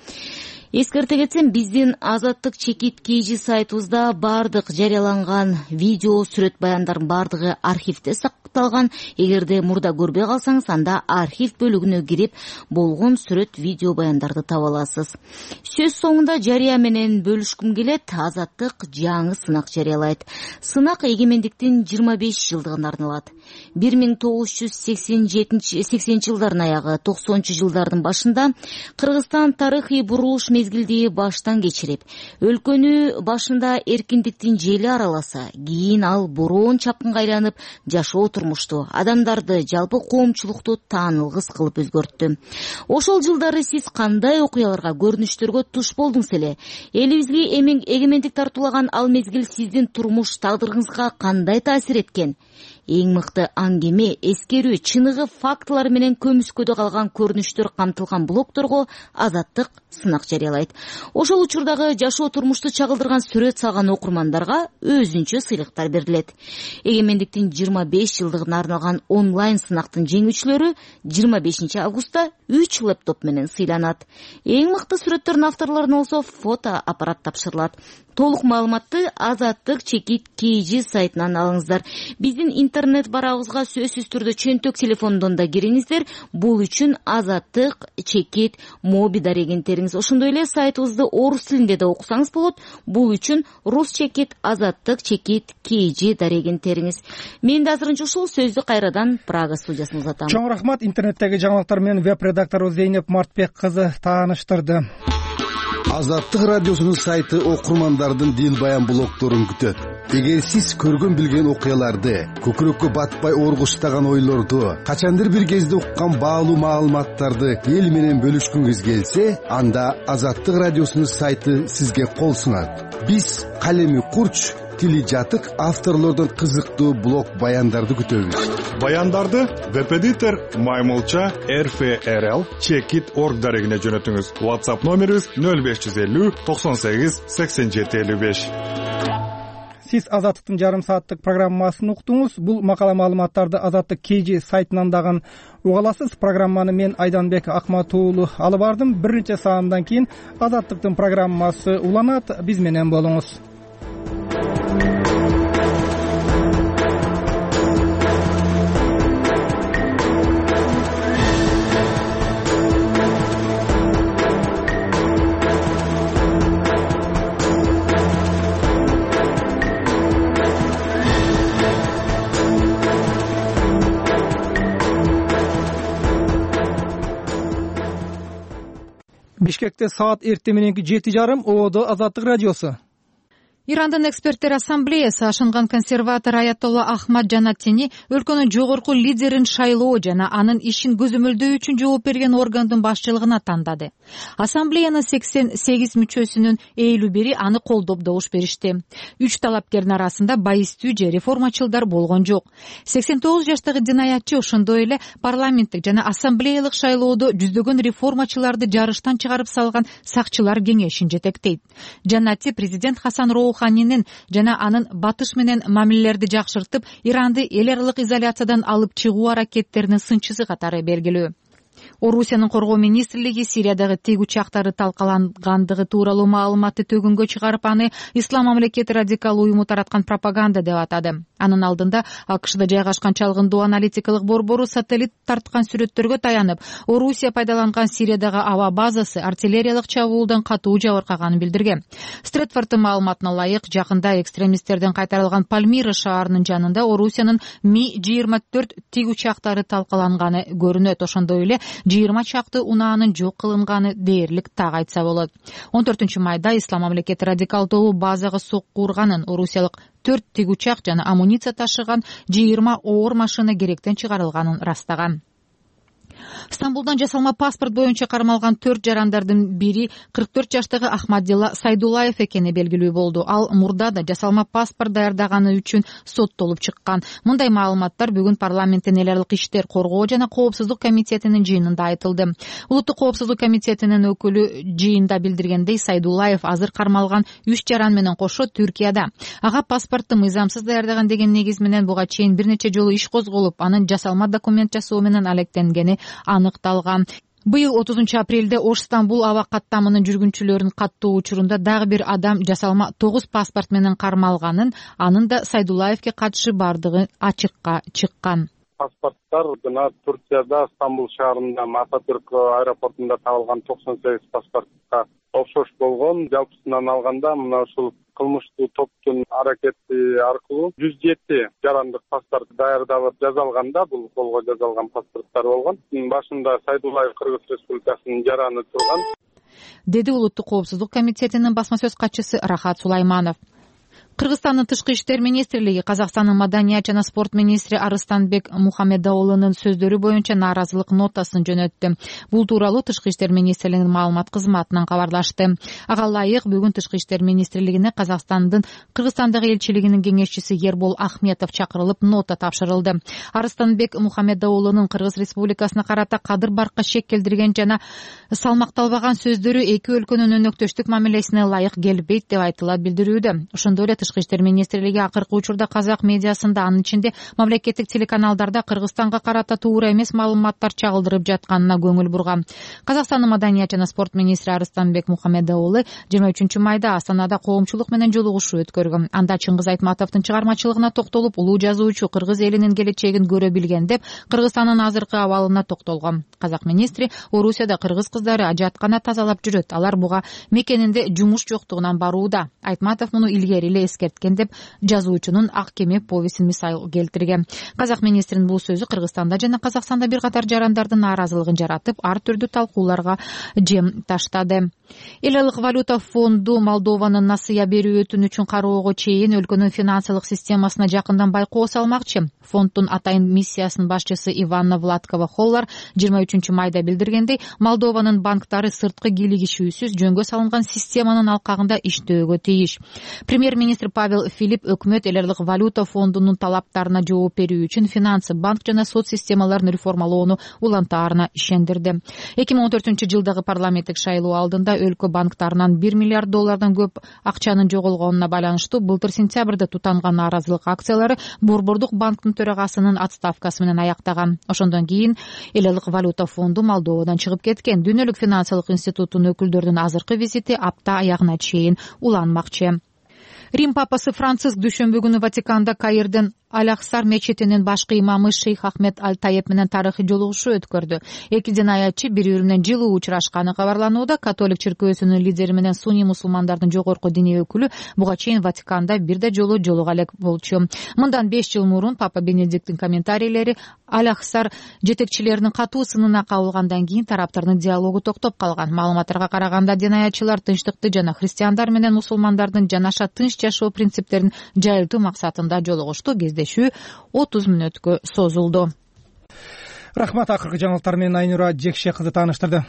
Speaker 16: Эскерте кетсем, биздин Азаттык чекит KG сайтыбызда бардык жарыяланган видео, сүрөт баяндардын бардыгы архивде сакталган. Эгерде мурда көрбөй калсаңыз, анда архив бөлүгүнө кирип, болгон сүрөт, видео баяндарды таба аласыз. Сөз соңунда жарыя менен бөлүшкүм келет. Азаттык жаңы сынак жарыялайт. Сынак эгемендиктин 25 жылдыгына арналат. 1980 жылдардын аягы, 90 жылдардын башында Кыргызстан тарыхый бурулуш мезгилди баштан кечирип, өлкөнү башында эркиндиктин жели араласа, кийин ал бороон чапкынга айланып, жашоо турмушту, адамдарды, жалпы коомчулукту таанылгыс кылып өзгөрттү. Ошол жылдары сиз кандай окуяларга, көрүнүштөргө туш болдуңуз эле? Элибизге эгемендик тартуулаган ал мезгил сиздин турмуш тагдырыңызга кандай таасир эткен? Эң мыкты аңгеме, эскерүү, чыныгы фактылар менен көмүскөдө калган көрүнүштөр камтылган блогторго Азаттык сынак жарыялайт. Ошол учурдагы жашоо турмушту чагылдырган сүрөт салган окурмандарга өзүнчө сыйлыктар берилет. Эгемендиктин 25 жылдыгына арналган онлайн сынактын жеңүүчүлөрү 25 августта 3 лэптоп менен сыйланат. Эң мыкты сүрөттөрдүн авторлоруна болсо фото аппарат тапшырылат. Толук маалыматты Азаттык чекит KG сайтынан алыңыздар. Биздин интернет барагыбызга сөзсүз түрдө чөнтөк телефондон да кириңиздер. Бул үчүн Азаттык чекит моби дарегенттериңиз. Ошондой эле сайтыбызды орус тилинде да окусаңыз болот. Бул үчүн рус чекит, Азаттык чекит KG дарегенттериңиз. Мен да азырынча ушул сөздү кайрадан Прага студиясына узатам.
Speaker 1: Чоң рахмат. Интернеттеги жаңылыктар менен веб-редактору Зейнеп Мартбек кызы тааныштырды.
Speaker 17: Азаттык радиосунун сайты окурмандардын дил баян блогторун күтөт. Эгер сиз көргөн билген окуяларды, көкүрөккө батпай оргуштаган ойлорду, качандыр бир кезде уккан баалуу маалыматтарды эл менен бөлүшкүңүз келсе, анда Азаттык радиосунун сайты сизге кол сунат. Биз калеми курч, тили жатык авторлордон кызыктуу блог баяндарды күтөбүз.
Speaker 10: Баяндарды веб-эдитор maymulcha.rfrl.checkit.org дарегине жөнөтүңүз. WhatsApp номерибиз 0550 98 87 55.
Speaker 1: Сиз Азаттыктын жарым сааттык программасын уктуңуз. Бул макала маалыматтарды Азаттык KG сайтынан дагы уга аласыз. Программаны мен Айданбек Акматуулу алып бардым. Бир нече саатдан кийин Азаттыктын программасы уланат. Биз менен болуңуз. Бишкекте саат эртең мененки 7:30 ООД Азаттык радиосу.
Speaker 3: Ирандын эксперттер ассамблеясы ашынган консерватор Аятолла Ахмад Жанаттини өлкөнүн жогорку лидерин шайлоо жана анын ишин көзөмөлдөө үчүн жооп берген органдын башчылыгына тандады. Ассамблеянын 88 мүчөсүнүн 51 аны колдоп добуш беришти. 3 талапкердин арасында байистүү же реформачылдар болгон жок. 89 жаштагы динаятчы ошондой эле парламенттик жана ассамблеялык шайлоодо жүздөгөн реформачыларды жарыштан чыгарып салган сакчылар кеңешин жетектейт. Жанатти президент Хасан Роуханинин жана анын батыш менен мамилелерди жакшыртып, Иранды эл аралык изоляциядан алып чыгуу аракеттеринин сынчысы катары белгилүү. Орусиянын коргоо министрлиги Сириядагы тиг учактары талкалангандыгы тууралуу маалыматты төгүнгө чыгарып, аны Ислам мамлекети радикал уюму тараткан пропаганда деп атады. Анын алдында АКШда жайгашкан чалгындоо аналитикалык борбору сателлит тарткан сүрөттөргө таянып, Орусия пайдаланган Сириядагы аба базасы артиллериялык чабуулдан катуу жабыркаганын билдирген. Стретфордтун маалыматына ылайык, жакында экстремисттерден кайтарылган Пальмира шаарынын жанында Орусиянын Ми-24 тиг учактары талкаланганы көрүнөт. Ошондой эле 20 чакты унаанын жок кылынганы дээрлик так айтса болот. 14-майда Ислам мамлекети радикал тобу базага сокку урганын, орусиялык 4 тиг учак жана амуниция ташыган 20 оор машина керектен чыгарылганын растаган. Стамбулдан жасалма паспорт боюнча кармалган 4 жарандардын бири 44 жаштагы Ахмадилла Сайдулаев экени белгилүү болду. Ал мурда да жасалма паспорт даярдаганы үчүн соттолуп чыккан. Мындай маалыматтар бүгүн парламенттин эл аралык иштер коргоо жана коопсуздук комитетинин жыйынында айтылды. Улуттук коопсуздук комитетинин өкүлү жыйында билдиргендей, Сайдулаев азыр кармалган 3 жаран менен кошо Түркияда. Ага паспортту мыйзамсыз даярдаган деген негиз менен буга чейин бир нече жолу иш козголуп, анын жасалма документ жасоо менен алектенгени аныкталган. Быйыл 30 апрелде Ош Стамбул аба каттамынын жүргүнчүлөрүнүн каттоо учурунда дагы бир адам жасалма 9 паспорт менен кармалганын, анын да Сайдулаевке катышы бардыгы ачыкка чыккан.
Speaker 4: Паспорттар жана Турцияда Стамбул шаарында Ататүрк аэропортунда табылган 98 паспортко окшош болгон. Жалпысынан алганда мына ушул кылмыштуу топтун аракети аркылуу 107 жарандык паспорт даярдалып жазалганда, бул колго жазалган паспорттар болгон. Башында Сайдулаев Кыргыз Республикасынын жараны турган,
Speaker 3: деди Улуттук коопсуздук комитетинин басма сөз катчысы Рахат Сулайманов. Кыргызстандын тышкы иштер министрлиги Казакстандын маданият жана спорт министри Арыстанбек Мухаммедоулунун сөздөрү боюнча нааразылык нотасын жөнөттү. Бул тууралуу тышкы иштер министрлигинин маалымат кызматынан кабарлашты. Ага ылайык, бүгүн тышкы иштер министрлигине Казакстандын Кыргызстандагы элчилигинин кеңешчиси Ербол Ахметов чакырылып нота тапшырылды. Арыстанбек Мухаммедоулунун Кыргыз Республикасына карата кадыр баркка шек келтирген жана салмакталбаган сөздөрү эки өлкөнүн өнөктөштүк мамилесине ылайык келбейт деп айтылат билдирүүдө. Ошондой эле тышкы иштер министрлиги акыркы учурда казак медиасында, анын ичинде мамлекеттик телеканалдарда Кыргызстанга карата туура эмес маалыматтар чагылдырып жатканына көңүл бурган. Казакстандын маданият жана спорт министри Арыстанбек Мухаммедоулу 23-майда Астанада коомчулук менен жолугушуу өткөргөн. Анда Чыңгыз Айтматовдун чыгармачылыгына токтолуп, улуу жазуучу кыргыз элинин келечегин көрө билген деп, Кыргызстандын азыркы абалына токтолгон. Казак министри Орусияда кыргыз кыздары ажаткана тазалап жүрөт. Алар буга мекенинде жумуш жоктугунан барууда. Айтматов муну илгери эле эскерткен деп жазуучунун Ак кеме повесин мисал келтирген. Казак министринин бул сөзү Кыргызстанда жана Казакстанда бир катар жарандардын нааразылыгын жаратып, ар түрдүү талкууларга жем таштады. Эл аралык валюта фонду Молдованын насыя берүү өтүнүчүн кароого чейин өлкөнүн финансылык системасына жакындан байкоо салмакчы. Фонддун атайын миссиясынын башчысы Иванна Владкова Холлар 23 майда билдиргендей, Молдованын банктары сырткы кийлигишүүсүз жөнгө салынган системанын алкагында иштөөгө тийиш. Премьер-министр Павел Филипп өкмөт эл аралык валюта фондунун талаптарына жооп берүү үчүн финансы, банк жана сот системаларын реформалоону улантаарына ишендирди. 2014-жылдагы парламенттик шайлоо алдында өлкө банктарынан $1 миллиард көп акчанын жоголгонуна байланыштуу былтыр сентябрда тутанган нааразылык акциялары Борбордук банктын төрагасынын отставкасы менен аяктаган. Ошондон кийин эл аралык валюта фонду Молдовадан чыгып кеткен. Дүйнөлүк финансылык институттун өкүлдөрүнүн азыркы визити апта аягына чейин уланмакчы. Рим папасы Франциск дүйшөмбү күнү Ватиканда Каирден Аль-Ахсар мечитинин башкы имамы Шейх Ахмед Аль-Таеп менен тарыхый жолугушуу өткөрдү. Эки динаятчы бири-бири менен жылуу учурашканы кабарланууда. Католик чиркөөсүнүн лидери менен сунний мусулмандардын жогорку диний өкүлү буга чейин Ватиканда бир да жолу жолуга элек болчу. Мындан 5 жыл мурун Папа Бенедикттин комментарийлери Аль-Ахсар жетекчилеринин катуу сынына кабылгандан кийин тараптардын диалогу токтоп калган. Маалыматтарга караганда динаятчылар тынчтыкты жана христиандар менен мусулмандардын жанаша тынч жашоо принциптерин жайылтуу максатында жолугушту. 30 мүнөткө созулду.
Speaker 1: Рахмат. Акыркы жаңылыктар менен Айнура Жекше кызы тааныштырды.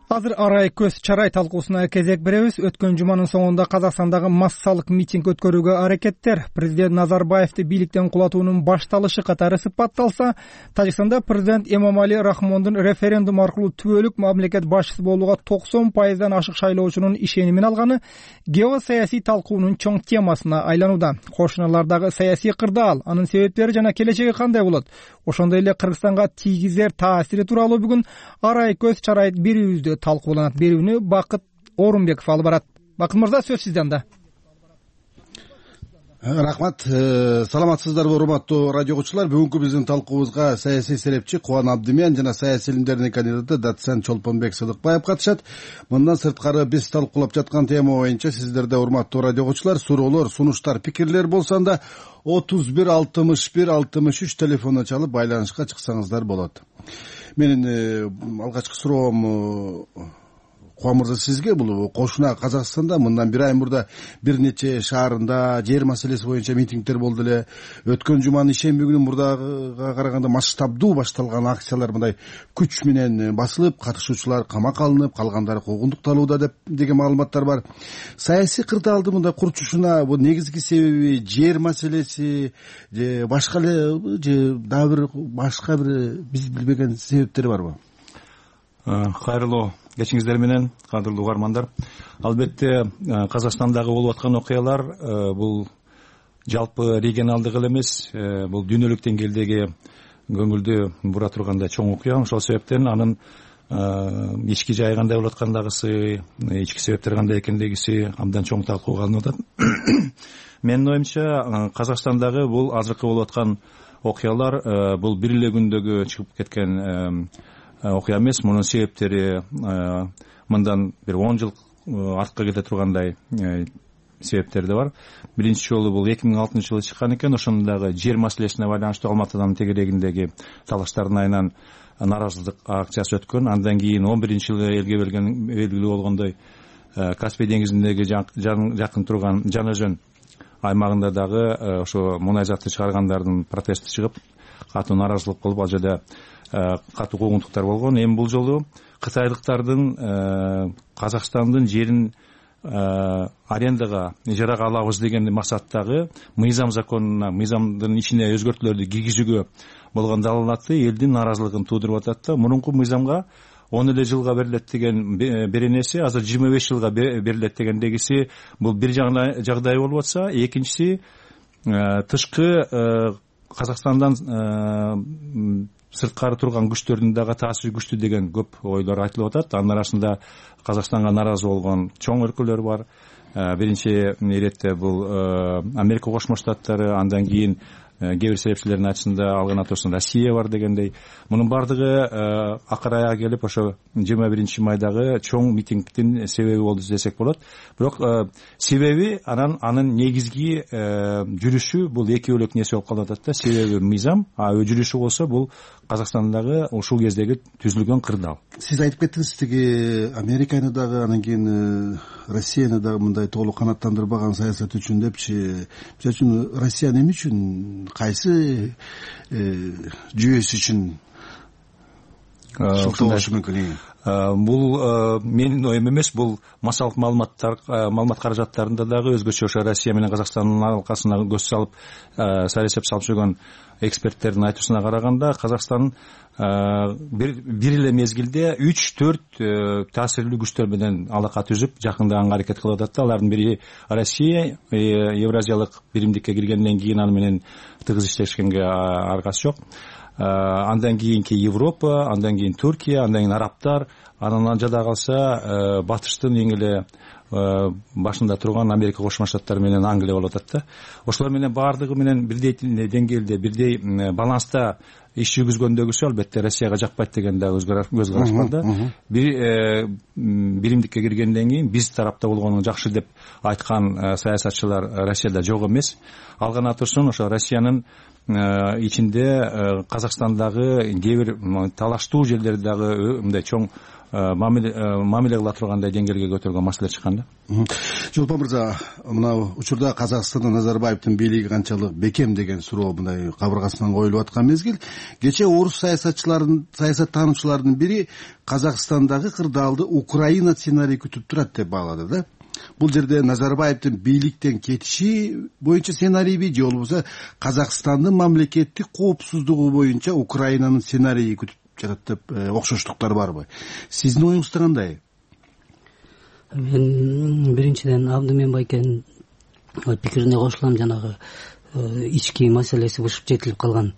Speaker 1: Азыр арай көз чарай талкуусуна кезек беребиз. Өткөн жуманын соңунда Казакстандагы массалык митинг өткөрүүгө аракеттер президент Назарбаевди бийликтен кулатуунун башталышы катары сыпатталса, Тажикстанда президент Эмомали Рахмондун референдум аркылуу түбөлүк мамлекет башчысы болууга 90% ашык шайлоочунун ишенимин алганы геосаясий талкуунун чоң темасына айланууда. Кошуналардагы саясий кырдаал, анын себептери жана келечеги кандай болот? Ошондой эле Кыргызстанга тийгизер таасири тууралуу бүгүн арай көз чарай берүүбүздө талкууланат. Берүүнү Бакыт Орунбеков алып барат. Бакыт мырза, сөз сизде анда.
Speaker 17: Рахмат. Саламатсыздарбы, урматтуу радио угуучулар? Бүгүнкү биздин талкуубузга саясий серепчи Кубан Абдимен жана саясий илимдердин кандидаты доцент Чолпонбек Сыдыкбаев катышат. Мындан сырткары биз талкуулап жаткан тема боюнча сиздерде, урматтуу радио угуучулар, суроолор, сунуштар, пикирлер болсо анда 31 61 63 телефонуна чалып байланышка чыксаңыздар болот. Менин алгачкы суроом Кубан мырза сизге. Бул кошуна Казакстанда мындан бир ай мурда бир нече шаарында жер маселеси боюнча митингдер болду эле. Өткөн жуманын ишемби күнү мурдага караганда масштабдуу башталган акциялар мындай күч менен басылып, катышуучулар камакка алынып, калгандары куугунтукталууда деген маалыматтар бар. Саясий кырдаалды мындай курчушуна бул негизги себеби жер маселеси же башка эле же дагы бир башка бир биз билбеген себептери барбы?
Speaker 18: Кайрылуу кечиңиздер менен, кадырлуу угармандар. Албетте Казакстандагы болуп аткан окуялар бул жалпы регионалдык эле эмес, бул дүйнөлүк деңгээлдеги көңүлдү бура тургандай чоң окуя. Ошол себептен анын ички жайы кандай болуп аткандагысы, ички себептери кандай экендигиси абдан чоң талкууга алынып атат. Менин оюмча Казакстандагы бул азыркы болуп аткан окуялар бул бир эле күндөгү чыгып кеткен окуя эмес. Мунун себептери мындан бир 10 жыл артка кете тургандай себептери да бар. Биринчи жолу бул 2006-жылы чыккан экен. Ошондагы жер маселесине байланыштуу Алматыданын тегерегиндеги талаштардын айынан нааразылык акциясы өткөн. Андан кийин 11-жылы элге белгилүү болгондой Каспий деңизиндеги жакын турган Жан Өзөн аймагында дагы ошо мунай затты чыгаргандардын протести чыгып, катуу нааразылык болуп, ал жерде катуу куугунтуктар болгон. Эми бул жолу кытайлыктардын Казакстандын жерин арендага, ижарага алабыз деген максаттагы мыйзам законуна, мыйзамдын ичине өзгөртүүлөрдү киргизүүгө болгон далалаты элдин нааразылыгын туудуруп атат да. Мурунку мыйзамга 10 эле жылга берилет деген беренеси азыр 25 жылга берилет дегендегиси бул бир жагдай болуп атса, экинчиси тышкы Казакстандан сырткары турган күчтөрдүн дагы таасири күчтүү деген көп ойлор айтылып атат. Анын арасында Казакстанга нааразы болгон чоң өлкөлөр бар. Биринчи иретте бул Америка Кошмо Штаттары, андан кийин кээ бир серепчилердин айтышында ал гана турсун Россия бар дегендей. Мунун бардыгы акырая келип ошо 21 майдагы чоң митингдин себеби болду десек болот. Бирок себеби анын негизги жүрүшү бул эки бөлөк нерсе болуп калып атат да. Себеби мыйзам, жүрүшү болсо бул Казакстандагы ушул кездеги түзүлгөн кырдаал.
Speaker 19: Сиз айтып кеттиңиз, тиги Американы дагы анан кийин Россияны дагы мындай толук канааттандырбаган саясат үчүн депчи. Мисалы үчүн Россия эмне үчүн, кайсы жүйөсү үчүн болушу мүмкүн?
Speaker 18: Бул менин оюм эмес, бул массалык маалымат каражаттарында дагы өзгөчө ошо Россия менен Казакстандын алкасына көз салып саясат салып жүргөн эксперттердин айтуусуна караганда, Казакстан бир эле мезгилде 3-4 таасирлүү күчтөр менен алака түзүп жакындаганга аракет кылып атат. Алардын бири Россия, Евразиялык биримдикке киргенден кийин аны менен тыгыз иштешкенге аргасы жок. Андан кийинки Европа, андан кийин Түркия, андан кийин арабтар, анан жада калса батыштын эң эле башында турган Америка Кошмо Штаттары менен Англия болуп атат да. Ошолор менен баардыгы менен бирдей деңгээлде, бирдей баланста иш жүргүзгөндөгүсү албетте Россияга жакпайт деген да көз караш бар да. Биримдикке киргенден кийин биз тарапта болгону жакшы деп айткан саясатчылар Россияда жок эмес. Ал гана турсун ошо Россиянын ичинде Казакстандагы кээ бир талаштуу жерлерди дагы мындай чоң мамиле кыла тургандай деңгээлге көтөргөн маселе чыккан да.
Speaker 19: Жолпон мырза, мына учурда Казакстанда Назарбаевдин бийлиги канчалык бекем деген суроо мындай кабыргасынан коюлуп аткан мезгил. Кечээ орус саясаттануучулардын бири Казакстандагы кырдаалды Украина сценарий күтүп турат деп баалады да. Бул жерде Назарбаевдин бийликтен кетиши боюнча сценарийби же болбосо Казакстандын мамлекеттик коопсуздугу боюнча Украинанын сценарийи күтүп жатат деп окшоштуктар барбы? Сиздин оюңузда кандай?
Speaker 20: Мен биринчиден Абдымен байкенин пикирине кошулам. Жанагы ички маселеси бышып жетилип калган,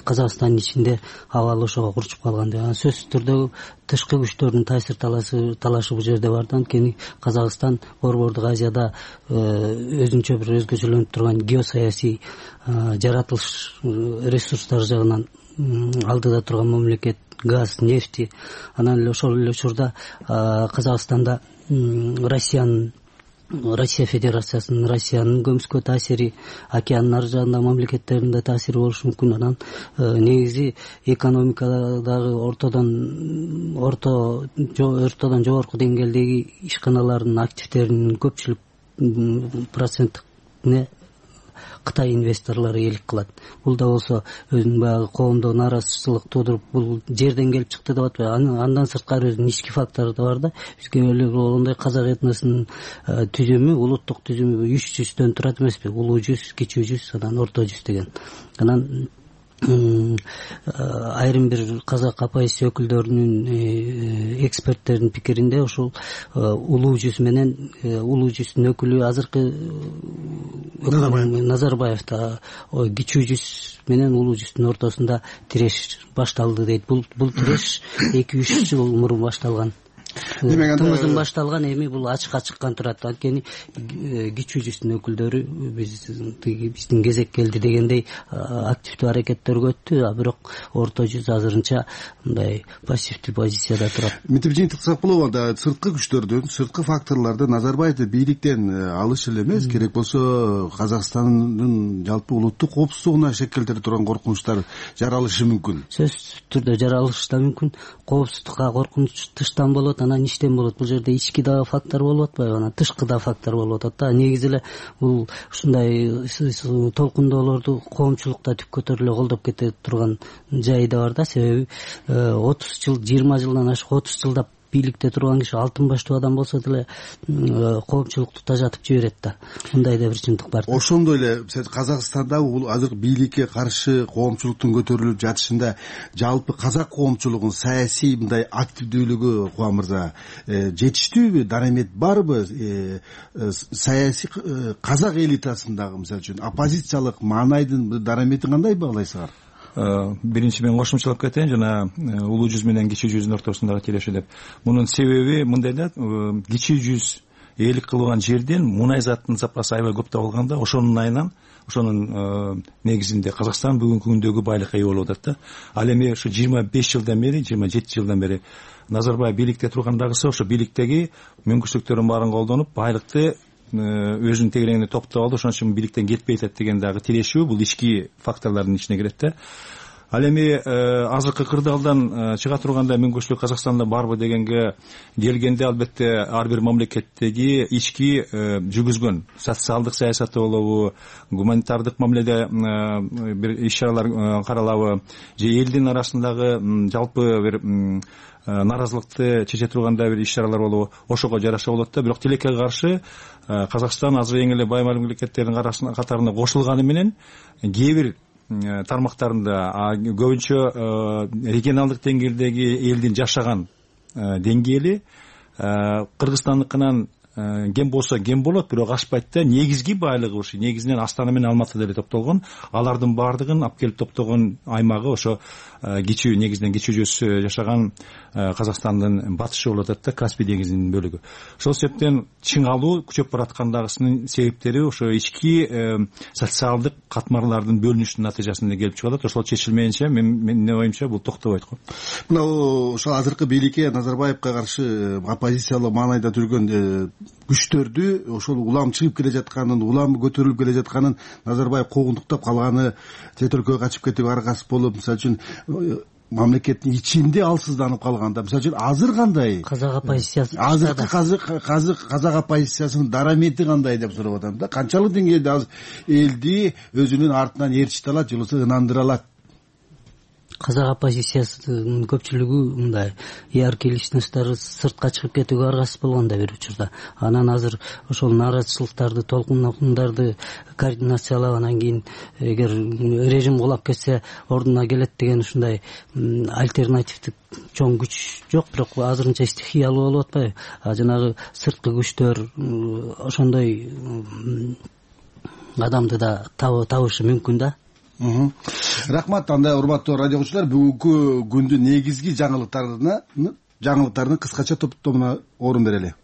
Speaker 20: Казакстандын ичинде абал ошого курчуп калган деп. Сөзсүз түрдө тышкы күчтөрдүн таасир талашы бул жерде бар да. Анткени Казакстан Борбордук Азияда өзүнчө бир өзгөчөлөнүп турган геосаясий жаратылыш ресурстары жагынан алдыда турган мамлекет, газ, нефти. Анан эле ошол эле учурда Казакстанда Россия Федерациясынын, Россиянын көмүскө таасири, океандын ар жагында мамлекеттеринде таасири болушу мүмкүн. Анан негизи экономикадагы ортодон жогорку деңгээлдеги ишканалардын активдеринин көпчүлүк процентине Кытай инвесторлору ээлик кылат. Бул да болсо өзүнүн баягы коомдо нааразычылык туудуруп, бул жерден келип чыкты деп атпайбы. Андан сырткары өзүнүн ички фактору да бар да. Бизге эле болгондой казак этносунун түзүмү, улуттук түзүмү 3 жүздөн турат эмеспи? Улуу жүз, кичүү жүз, анан орто жүз деген. Анан айрым бир казак АПС өкүлдөрүнүн, эксперттердин пикиринде ушул улуу жүз менен улуу жүздүн өкүлү азыркы Назарбаев да кичүү жүз менен улуу жүздүн ортосунда тиреш башталды дейт. Бул тиреш 2-3 жыл мурун башталган. Тымыздын башталган, эми бул ачыкка чыккан турат. Анткени кичүү жүздүн өкүлдөрү биздин кезек келди дегендей активдүү аракеттерге өттү, бирок орто жүз азырынча мындай пассивдүү позицияда турат.
Speaker 19: Мынтип жыйынтыктасак болобу да, сырткы күчтөрдүн, сырткы факторлордун Назарбаевди бийликтен алышы эле эмес, керек болсо Казакстандын жалпы улуттук коопсуздугуна шек келтире турган коркунучтар жаралышы мүмкүн.
Speaker 20: Сөзсүз түрдө жаралышы да мүмкүн. Коопсуздукка коркунуч тыштан болот, анан иштен болот. Бул жерде ички да фактор болуп атпайбы, анан тышкы да фактор болуп атат да. Негизи эле бул ушундай толкундоолорду коомчулукта түп көтөрүлө колдоп кете турган жайы да бар да. Себеби 30 жыл, 20 жылдан ашык 30 жылдап бийликте турган киши алтын баштуу адам болсо деле коомчулукту тажатып жиберет да. Мындай да бир чындык бар.
Speaker 19: Ошондой эле Казакстанда бул азыр бийликке каршы коомчулуктун көтөрүлүп жатышында жалпы казак коомчулугунун саясий мындай активдүүлүгү Кубан мырза жетиштүүбү, дарамет барбы? Саясий казак элитасындагы мисалы үчүн оппозициялык маанайдын дараметин кандай баалайсыңар?
Speaker 18: Биринчи мен кошумчалап кетейин, жана улуу жүз менен кичүү жүздүн ортосундагы тиреши деп. Мунун себеби мындай да, кичүү жүз ээлик кылган жерден мунай заттын запасы аябай көп табылганда ошонун айынан ошонун негизинде Казакстан бүгүнкү күндөгү байлыкка ээ болуп атат да. Ал эми ушу 25 жылдан бери 27 жылдан бери Назарбаев бийликте тургандагысы ошо бийликтеги мүмкүнчүлүктөрдүн баарын колдонуп байлыкты өзүнүн тегерегине топтоп алды, ошон үчүн бийликтен кетпей атат деген дагы тирешүү, бул ички факторлордун ичине кирет да. Ал эми азыркы кырдаалдан чыга турганда мүмкүнчүлүк Казакстанда барбы дегенге келгенде, албетте ар бир мамлекеттеги ички жүргүзгөн социалдык саясаты болобу, гуманитардык мамиледе бир иш-чаралар каралабы же элдин арасындагы жалпы бир нааразылыкты чече тургандай бир иш-чаралар болобу, ошого жараша болот да. Бирок тилекке каршы Казакстан азыр эң эле бай мамлекеттердин катарына кошулганы менен кээ бир тармактарында көбүнчө регионалдык деңгээлдеги элдин жашаган деңгээли Кыргызстандыкынан кем болсо кем болот, бирок ашпайт да. Негизги байлыгы ушу негизинен Астана менен Алматы деле топтолгон. Алардын баардыгын алып келип топтогон аймагы ошо кичүү, негизинен кичүү жүз жашаган Казакстандын батышы болуп атат да, Каспий деңизинин бөлүгү. Ошол себептен чыңалуу күчөп бараткандагысынын себептери ошо ички социалдык катмарлардын бөлүнүшүнүн натыйжасында келип чыгып атат. Ошол чечилмейинче менин оюмча бул токтобойт го.
Speaker 19: Мына ошо азыркы бийликке Назарбаевка каршы оппозициялык маанайда жүргөн күчтөрдү ошол улам чыгып келе жатканын, улам көтөрүлүп келе жатканын Назарбаев куугунтуктап калганы, чет өлкөгө качып кетип аргасыз болуп, мисалы үчүн мамлекеттин ичинде алсызданып калганда, мисалы үчүн азыр кандай
Speaker 20: казак оппозициясы,
Speaker 19: азыркы казак оппозициясынын дарамети кандай деп сурап атам да. Канчалык деңгээлде азыр элди өзүнүн артынан ээрчите алат, же болбосо ынандыра алат?
Speaker 20: Казак оппозициясынын көпчүлүгү мындай яркий личносттор сыртка чыгып кетүүгө аргасыз болгон да бир учурда. Анан азыр ошол нааразычылыктарды, толкундарды координациялап, анан кийин эгер режим кулап кетсе ордуна келет деген ушундай альтернативдик чоң күч жок, бирок азырынча стихиялуу болуп атпайбы? Жанагы сырткы күчтөр ошондой адамды да табышы мүмкүн да.
Speaker 19: Рахмат. Анда урматтуу радио угуучулар, бүгүнкү күндүн негизги жаңылыктарынын кыскача топтомуна орун берели.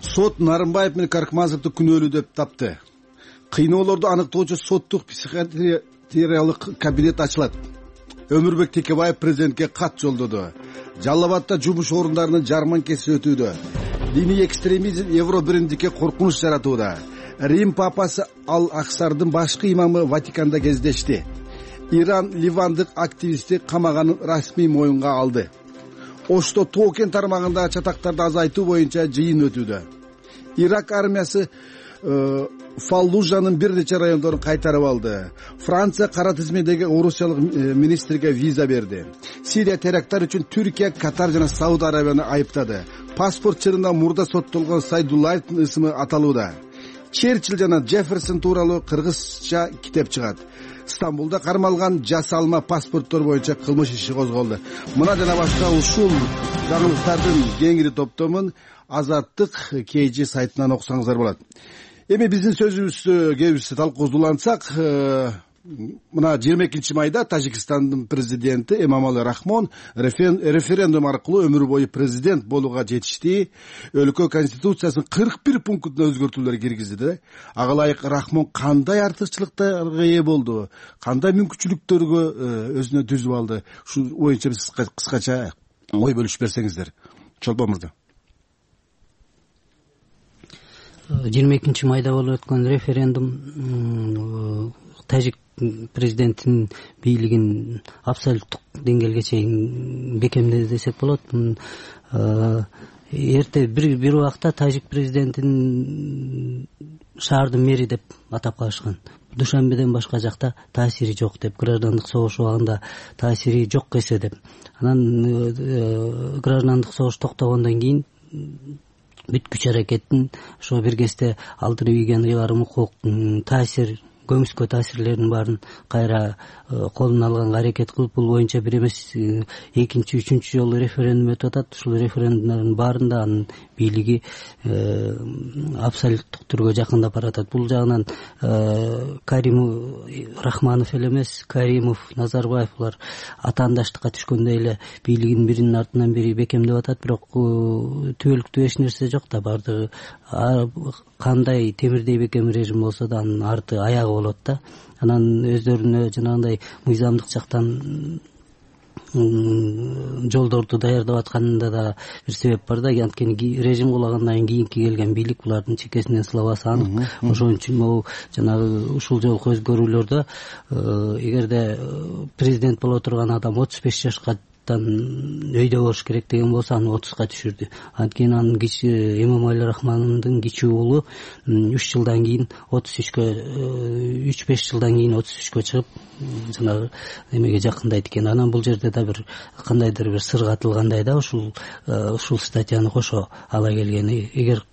Speaker 19: Сот Нарымбаев менен Каркмазовду күнөөлүү деп тапты. Кыйноолорду аныктоочу соттук психиатриялык кабинет ачылат. Өмүрбек Текебаев президентке кат жолдоду. Жалал Абадда жумуш орундарынын жарманкеси өтүүдө. Диний экстремизм Евро биримдикке коркунуч жаратууда. Рим папасы Ал-Аксардын башкы имамы Ватиканда кездешти. Иран ливандык активистти камаганын расмий моюнга алды. Ошто Токен тармагында чатактарды азайтуу боюнча жыйын өтүүдө. Ирак армиясы Фаллужанын бир нече райондорун кайтарып алды. Франция кара тизмедеги орусиялык министрге виза берди. Сирия теракттар үчүн Түркия, Катар жана Сауд Арабияны айыптады. Паспорт чырында мурда соттолгон Сайдуллаевдин ысымы аталууда. Черчилл жана Джефферсон тууралуу кыргызча китеп чыгат. Стамбулда кармалган жасалма паспорттор боюнча кылмыш иши козголду. Мына жана башка ушул жаңылыктардын кеңири топтомун Азаттык KG сайтынан окусаңыздар болот. Эми биздин сөзүбүздү кебиз талкуулансак, мына 22 майда Тажикстандын президенти Эмомали Рахмон референдум аркылуу өмүр бою президент болууга жетишти. Өлкө конституциясынын 41 пунктуна өзгөртүүлөр киргизди. Ага ылайык Рахмон кандай артыкчылыктарга ээ болду, кандай мүмкүнчүлүктөргө өзүнө түзүп алды? Ушул боюнча биз кыскача ой бөлүшүп берсеңиздер. Чолпон мырза.
Speaker 20: 22 майда болуп өткөн референдум тажик президентинин бийлигин абсолюттук деңгээлге чейин бекемдеди десек болот. Эрте бир убакта тажик президентин шаардын мэри деп атап калышкан. Душанбеден башка жакта таасири жок деп, граждандык согуш убагында таасири жок эсе деп. Анан граждандык согуш токтогондон кийин бүт күч аракеттин ошо бир кезде алдырып ийген ыйгарым укук таасир көмүскө таасирлеринин баарын кайра колуна алганга аракет кылып, бул боюнча бир эмес экинчи, үчүнчү жолу референдум өтүп атат. Ушул референдумдардын баарында анын бийлиги абсолюттук түргө жакындап баратат. Бул жагынан Каримов, Рахманов эле эмес, Каримов, Назарбаев булар атаандаштыкка түшкөндөй эле бийлигин биринин артынан бири бекемдеп атат. Бирок түбөлүктүү эч нерсе жок да, баардыгы кандай темирдей бекем режим болсо да анын арты аягы болот да. Анан өздөрүнө жанагындай мыйзамдык жактан жолдорду даярдап атканында да бир себеп бар да. Анткени режим кулагандан кийинки келген бийлик булардын чекесинен сылабасы анык. Ошон үчүн могу жанагы ушул жолку өзгөрүүлөрдө эгерде президент боло турган адам 35 жашка өйдө болуш керек деген болсо, аны 30га түшүрдү. Анткени анын Эмомали Рахмоновдун кичүү уулу 3 жылдан кийин 33кө 3-5 жылдан кийин 33кө чыгып жанагы эмеге жакындайт экен. Анан бул жерде да бир кандайдыр бир сыр катылгандай да, ушул статьяны кошо ала келген. Эгер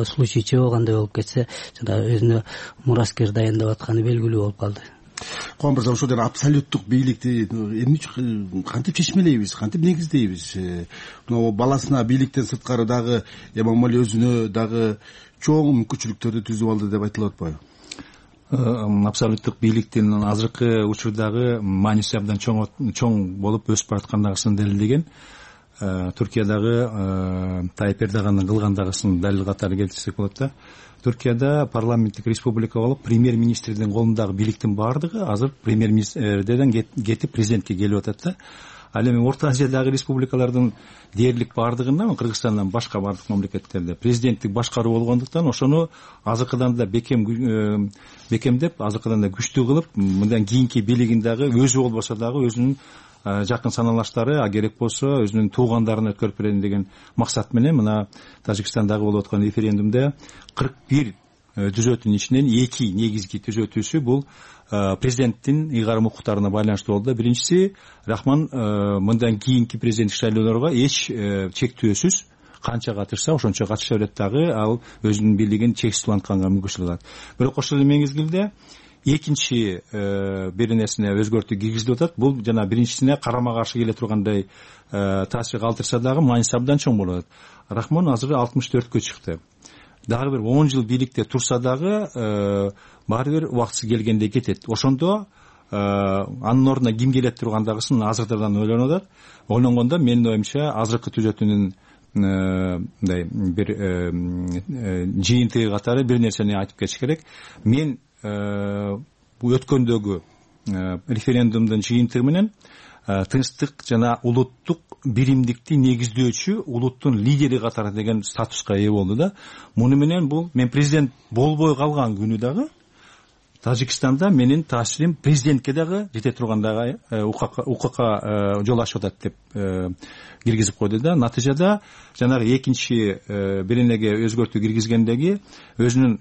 Speaker 20: случай чыгабагандай болуп кетсе, жана өзүнө мураскер дайындап атканы белгилүү болуп калды.
Speaker 19: Ком мырза, ошол абсолюттук бийликти эмне үчүн кантип чечмелейбиз, кантип негиздейбиз? Мына баласына бийликтен сырткары дагы Эмомали өзүнө дагы чоң мүмкүнчүлүктөрдү түзүп алды деп айтылып атпайбы?
Speaker 18: Абсолюттук бийликтин азыркы учурдагы мааниси абдан чоң болуп өсүп бараткандыгын далилдеген. Түркиядагы Тайып Эрдогандын кылгандыгын далил катары келтирсек болот да. Түркияда парламенттик республика болуп, премьер-министрдин колундагы бийликтин баардыгы азыр премьер-министрден кетип президентке келип атат да. Ал эми Орто Азиядагы республикалардын дээрлик баардыгында, Кыргызстандан башка баардык мамлекеттерде президенттик башкаруу болгондуктан ошону азыркыдан да бекемдеп, азыркыдан да күчтүү кылып, мындан кийинки бийлигин дагы өзү болбосо дагы өзүнүн жакын саналаштары, керек болсо өзүнүн туугандарына өткөрүп берем деген максат менен мына Тажикстандагы болуп аткан референдумда 41 түзөтүүнүн ичинен 2 негизги түзөтүүсү бул президенттин ыйгарым укуктарына байланыштуу болду. Биринчиси, Рахман мындан кийинки президенттик шайлоолорго эч чектөөсүз канча катышса ошончо катыша берет дагы, ал өзүнүн бийлигин чексиз улантканга мүмкүнчүлүк алат. Бирок ошол эле мезгилде экинчи бир нерсене өзгөртүү киргизилип атат. Бул жана биринчисине карама каршы келе тургандай таасир калтырса дагы мааниси абдан чоң болот. Рахмон азыр 64кө чыкты. Дагы бир 10 жыл бийликте турса дагы баары бир убактысы келгенде кетет. Ошондо анын ордуна ким келет тургандагысын азырдан ойлонуп атат. Ойлонгондо менин оюмча азыркы түзөтүүнүн мындай бир жыйынтыгы катары бир нерсени айтып кетиш керек. Мен өткөндөгү референдумдун жыйынтыгы менен тынчтык жана улуттук биримдикти негиздөөчү улуттун лидери катары деген статуска ээ болду да. Муну менен мен президент болбой калган күнү дагы Тажикстанда менин таасирим президентке дагы жете тургандагы укукка жол ачып атат деп киргизип койду да. Натыйжада жанагы экинчи бир энеге өзгөртүү киргизгендеги өзүнүн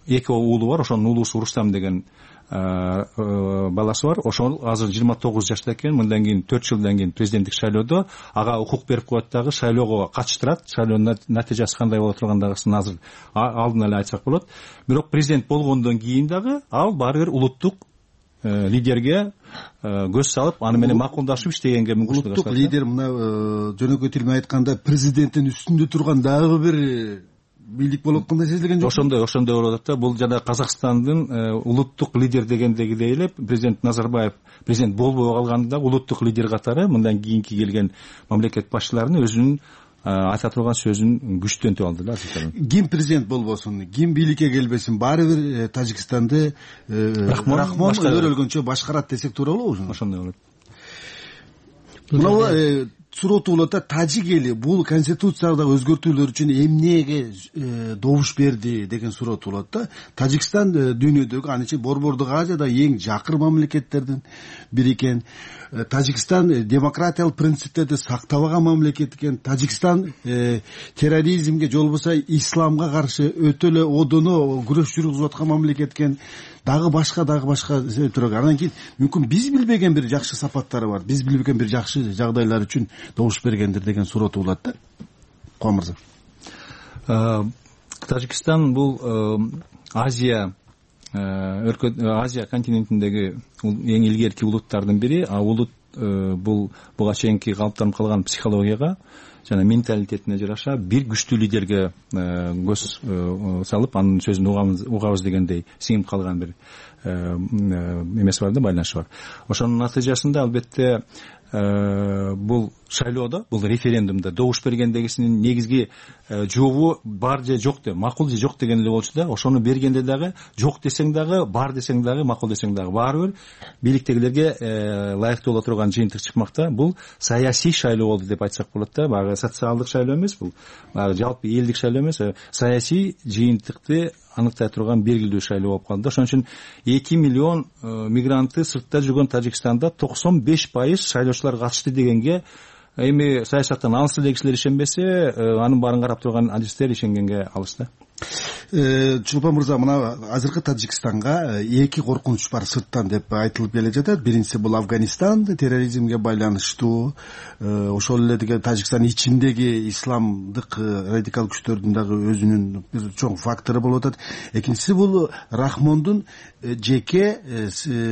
Speaker 18: эки уулу бар, ошонун уулусу Рустам деген баласы бар. Ошол азыр 29 жашта экен. Мындан кийин 4 жылдан кийин президенттик шайлоодо ага укук берип коет дагы, шайлоого катыштырат. Шайлоонун натыйжасы кандай боло тургандыгын азыр алдын эле айтсак болот. Бирок президент болгондон кийин дагы ал баары бир улуттук лидерге көз салып, аны менен макулдашып иштегенге мүмкүнчүлүк.
Speaker 19: Улуттук лидер мына жөнөкөй тил менен айтканда президенттин үстүндө турган дагы бир бийлик болуп аткандай сезилген жок.
Speaker 18: Ошондой болуп атат да. Бул жана Казакстандын улуттук лидер дегендегидей эле президент Назарбаев президент болбой калганда улуттук лидер катары мындан кийинки келген мамлекет башчыларынын өзүнүн айта турган сөзүн күчтөнтүп алды да.
Speaker 19: Ким президент болбосун, ким бийликке келбесин, баары бир Тажикстанды Рахмон өрөлгөнчө башкарат десек туура болобу?
Speaker 18: Ошондой болот.
Speaker 19: Мына суроо болот да, тажик эли бул конституциядагы өзгөртүүлөр үчүн эмнеге добуш берди деген суроо болот да. Тажикстан дүйнөдөгү аныча Борбордук Азияда эң жакыр мамлекеттердин бири экен. Тажикстан демократиялык принциптерди сактабаган мамлекет экен. Тажикстан терроризмге же болбосо исламга каршы өтө эле одоно күрөш жүргүзүп аткан мамлекет экен. Дагы башка себептер. Андан кийин мүмкүн биз билбеген бир жакшы сапаттары бар. Биз билбеген бир жакшы жагдайлар үчүн добуш бергендир деген суроо болот да. Комурза.
Speaker 18: Тажикстан бул Азия Азия континентиндеги эң илгерки улуттардын бири. А улут бул буга чейинки калыптанып калган психологияга жана менталитетине жараша бир күчтүү лидерге көз салып анын сөзүн угабыз дегендей сиңип калган бир эмеси бар да, байланышы бар. Ошонун натыйжасында албетте бул шайлоодо, бул референдумда добуш бергендегисинин негизги жообу бар же жок деп, макул же жок деген эле болчу да. Ошону бергенде дагы жок десең дагы, бар десең дагы, макул десең дагы баары бир бийликтегилерге ылайыктуу боло турган жыйынтык чыкмакта. Бул саясий шайлоо болду деп айтсак болот да. Баягы социалдык шайлоо эмес, бул баягы жалпы элдик шайлоо эмес, саясий жыйынтыкты аныктай турган белгилүү шайлоо болуп калды. Ошон үчүн 2 миллион мигрантты сыртта жүргөн Тажикстанда 95% шайлоочулар катышты дегенге эми саясаттан алыс эле кишилер ишенбесе, анын баарын карап турган адистер ишенгенге алыс да.
Speaker 19: Чулпан мырза, мына азыркы Тажикстанга эки коркунуч бар сырттан деп айтылып келе жатат. Биринчиси бул Афганистан терроризмге байланыштуу, ошол эле деген Тажикстан ичиндеги исламдык радикал күчтөрдүн дагы өзүнүн бир чоң фактору болуп атат. Экинчиси бул Рахмондун жеке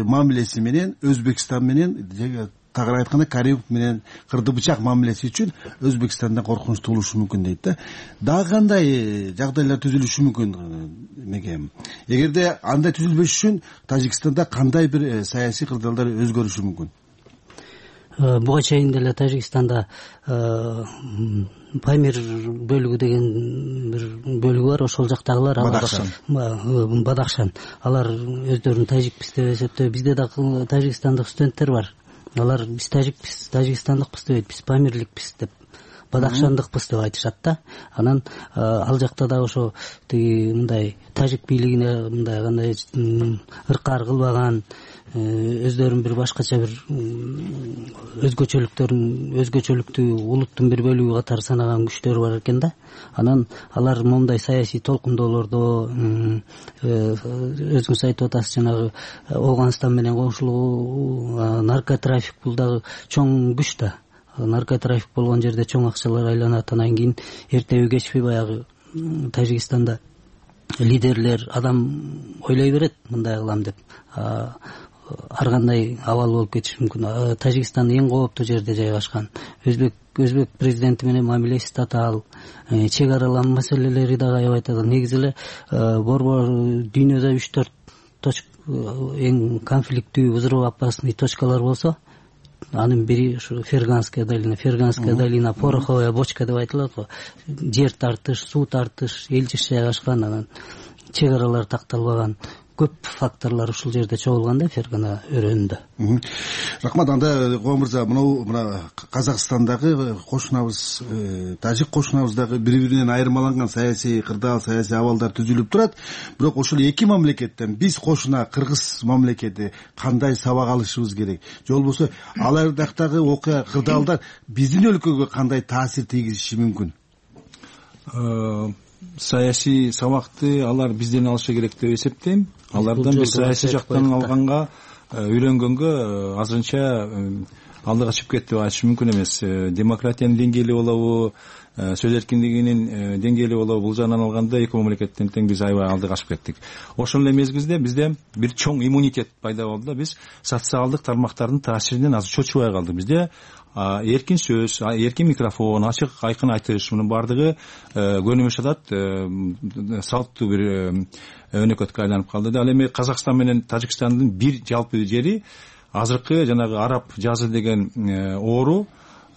Speaker 19: мамилеси менен Өзбекстан менен, тагыраак айтканда Каримов менен кырды бычак мамилеси үчүн Өзбекстанда коркунуч туулушу мүмкүн дейт да. Дагы кандай жагдайлар түзүлүшү мүмкүн меге? Эгерде андай түзүлбөш үчүн Тажикстанда кандай бир саясий кырдаалдар өзгөрүшү мүмкүн?
Speaker 20: Буга чейин деле Тажикстанда Памир бөлүгү деген бир бөлүгү бар. Ошол жактагылар Бадахшан. Алар өздөрүн тажикпиз деп эсептейт. Бизде дагы тажикстандык студенттер бар. Алар биз тажикпиз, тажикстандыкпыз дебейт, биз памирликпиз деп, бадахшандыкпыз деп айтышат да. Анан ал жакта да ошо тиги мындай тажик бийлигине мындай кандай ыркаар кылбаган, өздөрүн бир башкача бир өзгөчөлүктүү улуттун бир бөлүгү катары санаган күчтөр бар экен да. Анан алар моундай саясий толкундоолордо өзүңүз айтып атасыз, жанагы Афганистан менен коңшулугу, наркотрафик бул дагы чоң күч да. Наркотрафик болгон жерде чоң акчалар айланат. Анан кийин эртеби кечпи баягы Тажикстанда лидерлер адам ойлой берет мындай кылам деп. Ар кандай абал болуп кетиши мүмкүн. Тажикстан эң кооптуу жерде жайгашкан. Өзбек президенти менен мамилеси татаал, чек аралам маселелери дагы аябай татаал. Негизи эле борбор дүйнөдө 3-4 эң конфликттүү, взрывоопасный точкалар болсо, анын бири ушу Ферганская долина, пороховая бочка деп айтылат го. Жер тартыш, суу тартыш, элчиш жайгашкан, анан чек аралар такталбаган. Көп факторлор ушул жерде чогулганда Фергана өрөөнүндө.
Speaker 19: Рахмат. Анда Коо мырза, мына Казакстандагы кошунабыз, тажик кошунабыздагы бири-биринен айырмаланган саясий кырдаал, саясий абалдар түзүлүп турат. Бирок ошол эки мамлекеттен биз кошуна Кыргыз мамлекети кандай сабак алышыбыз керек? Же болбосо алар жактагы окуя кырдаалдар биздин өлкөгө кандай таасир тийгизиши мүмкүн?
Speaker 18: Саясий сабакты алар бизден алышы керек деп эсептейм. Алардан бир саясий жактан алганга, үйрөнгөнгө азырынча алдыга чыгып кетти деп айтыш мүмкүн эмес. Демократиянын деңгээли болобу, сөз эркиндигинин деңгээли болобу, бул жагынан алганда эки мамлекеттен тең биз аябай алдыга чыгып кеттик. Ошол эле мезгилде бизде бир чоң иммунитет пайда болду да. Биз социалдык тармактардын таасиринен азыр чочубай калдык. Бизде эркин сөз, эркин микрофон, ачык айкын айтыш, мунун баардыгы көнүмүш атат салттуу бир өнөкөткө айланып калды да. Ал эми Казакстан менен Тажикстандын бир жалпы жери азыркы жанагы араб жазы деген оору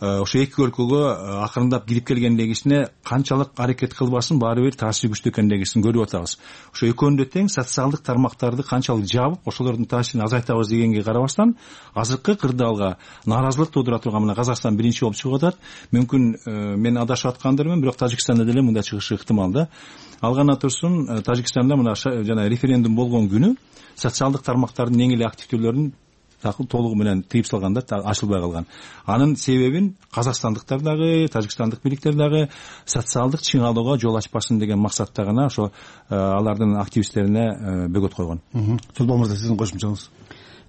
Speaker 18: ошо эки өлкөгө акырындап кирип келгендегисине канчалык аракет кылбасын баары бир таасири күчтүү экендигин көрүп атабыз. Ошо экөөнү тең социалдык тармактарды канчалык жабып, ошолордун таасирин азайтабыз дегенге карабастан, азыркы кырдаалга нааразылык туудура турган мына Казакстан биринчи болуп чыгып атат. Мүмкүн мен адашып аткандырмын, бирок Тажикстанда деле мындай чыгышы ыктымал да. Алгана турсун, Тажикстанда мына жана референдум болгон күнү социалдык тармактардын эң эле активдүүлөрүн толугу менен тыйып салганда ачылбай калган. Анын себебин казакстандыктар дагы, тажикстандык бийликтер дагы социалдык чыңалууга жол ачпасын деген максатта гана ошо алардын активисттерине бөгөт койгон.
Speaker 19: Чулпан мырза, сиздин кошумчаңыз?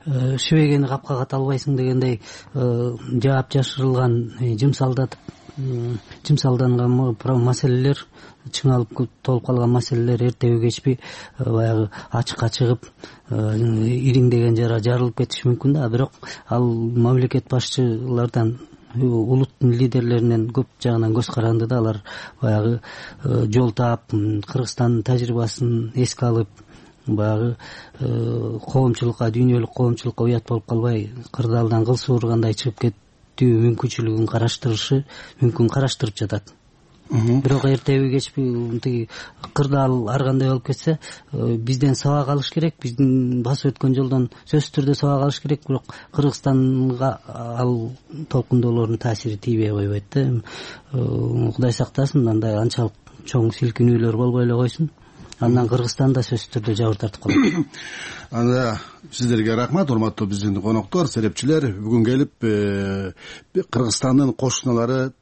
Speaker 20: Шүбегени капка ката албайсың дегендей жаап жашырылган, жымсалдатып жымсалданган маселелер, чыңалып толуп калган маселелер эртеби кечпи баягы ачыкка чыгып ириңдеген жара жарылып кетиши мүмкүн да. Бирок ал мамлекет башчылардан, улуттун лидерлеринен көп жагынан көз каранды да. Алар баягы жол таап, Кыргызстандын тажрыйбасын эске алып, баягы коомчулукка, дүйнөлүк коомчулукка уят болуп калбай, кырдаалдан кыл суургандай чыгып кетүү мүмкүнчүлүгүн караштырып жатат. Бирок эртеби кечпи тиги кырдаал ар кандай болуп кетсе, бизден сабак алыш керек, биздин басып өткөн жолдон сөзсүз түрдө сабак алыш керек. Бирок Кыргызстанга ал толкундоолордун таасири тийбей койбойт да. Кудай сактасын, андай анчалык чоң силкинүүлөр болбой эле койсун. Андан Кыргызстан да сөзсүз түрдө жабыр тартып калат.
Speaker 19: Анда сиздерге рахмат, урматтуу биздин коноктор, серепчилер. Бүгүн келип Кыргызстандын кошуналары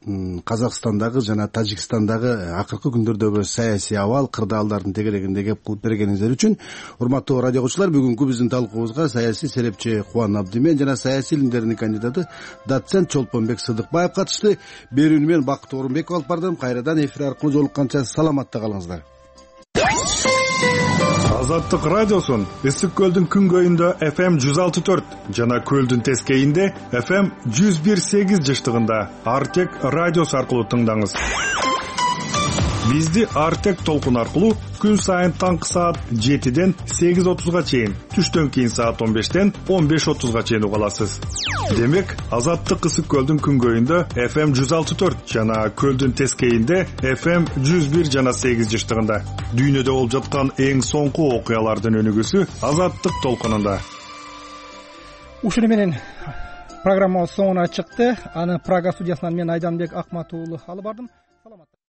Speaker 19: Казакстандагы жана Тажикстандагы акыркы күндөрдөгү саясий абал, кырдаалдардын тегерегинде кеп кылып бергениңиздер үчүн урматтуу радио окуучулар, бүгүнкү биздин талкуубузга саясий серепчи Кубан Абдимен жана саясий илимдердин кандидаты доцент Чолпонбек Сыдыкбаев катышты. Берүүнү мен Бакыт Орунбеков алып бардым. Кайрадан эфир аркылуу жолукканча саламатта калыңыздар.
Speaker 10: Азаттык радиосун Ысык көлдүн күнгөйүндө FM 106.4 жана көлдүн тескейинде FM 101.8 жыштыгында Артек радиосу аркылуу тыңдаңыз. Бизди Артек толкун аркылуу күн сайын таңкы саат 7ден 8:30га чейин, түштөн кийин саат 15ден 15:30га чейин уга аласыз. Демек, Азаттык Ысык көлдүн күнгөйүндө FM 106.4 жана көлдүн тескейинде FM 101 жана 8 жыштыгында дүйнөдө болуп жаткан эң соңку окуялардын өнүгүүсү Азаттык толкунунда.
Speaker 1: Ушуну менен программабыз соңуна чыкты. Аны Прага студиясынан мен Айданбек Акмат уулу алып бардым. Саламатта.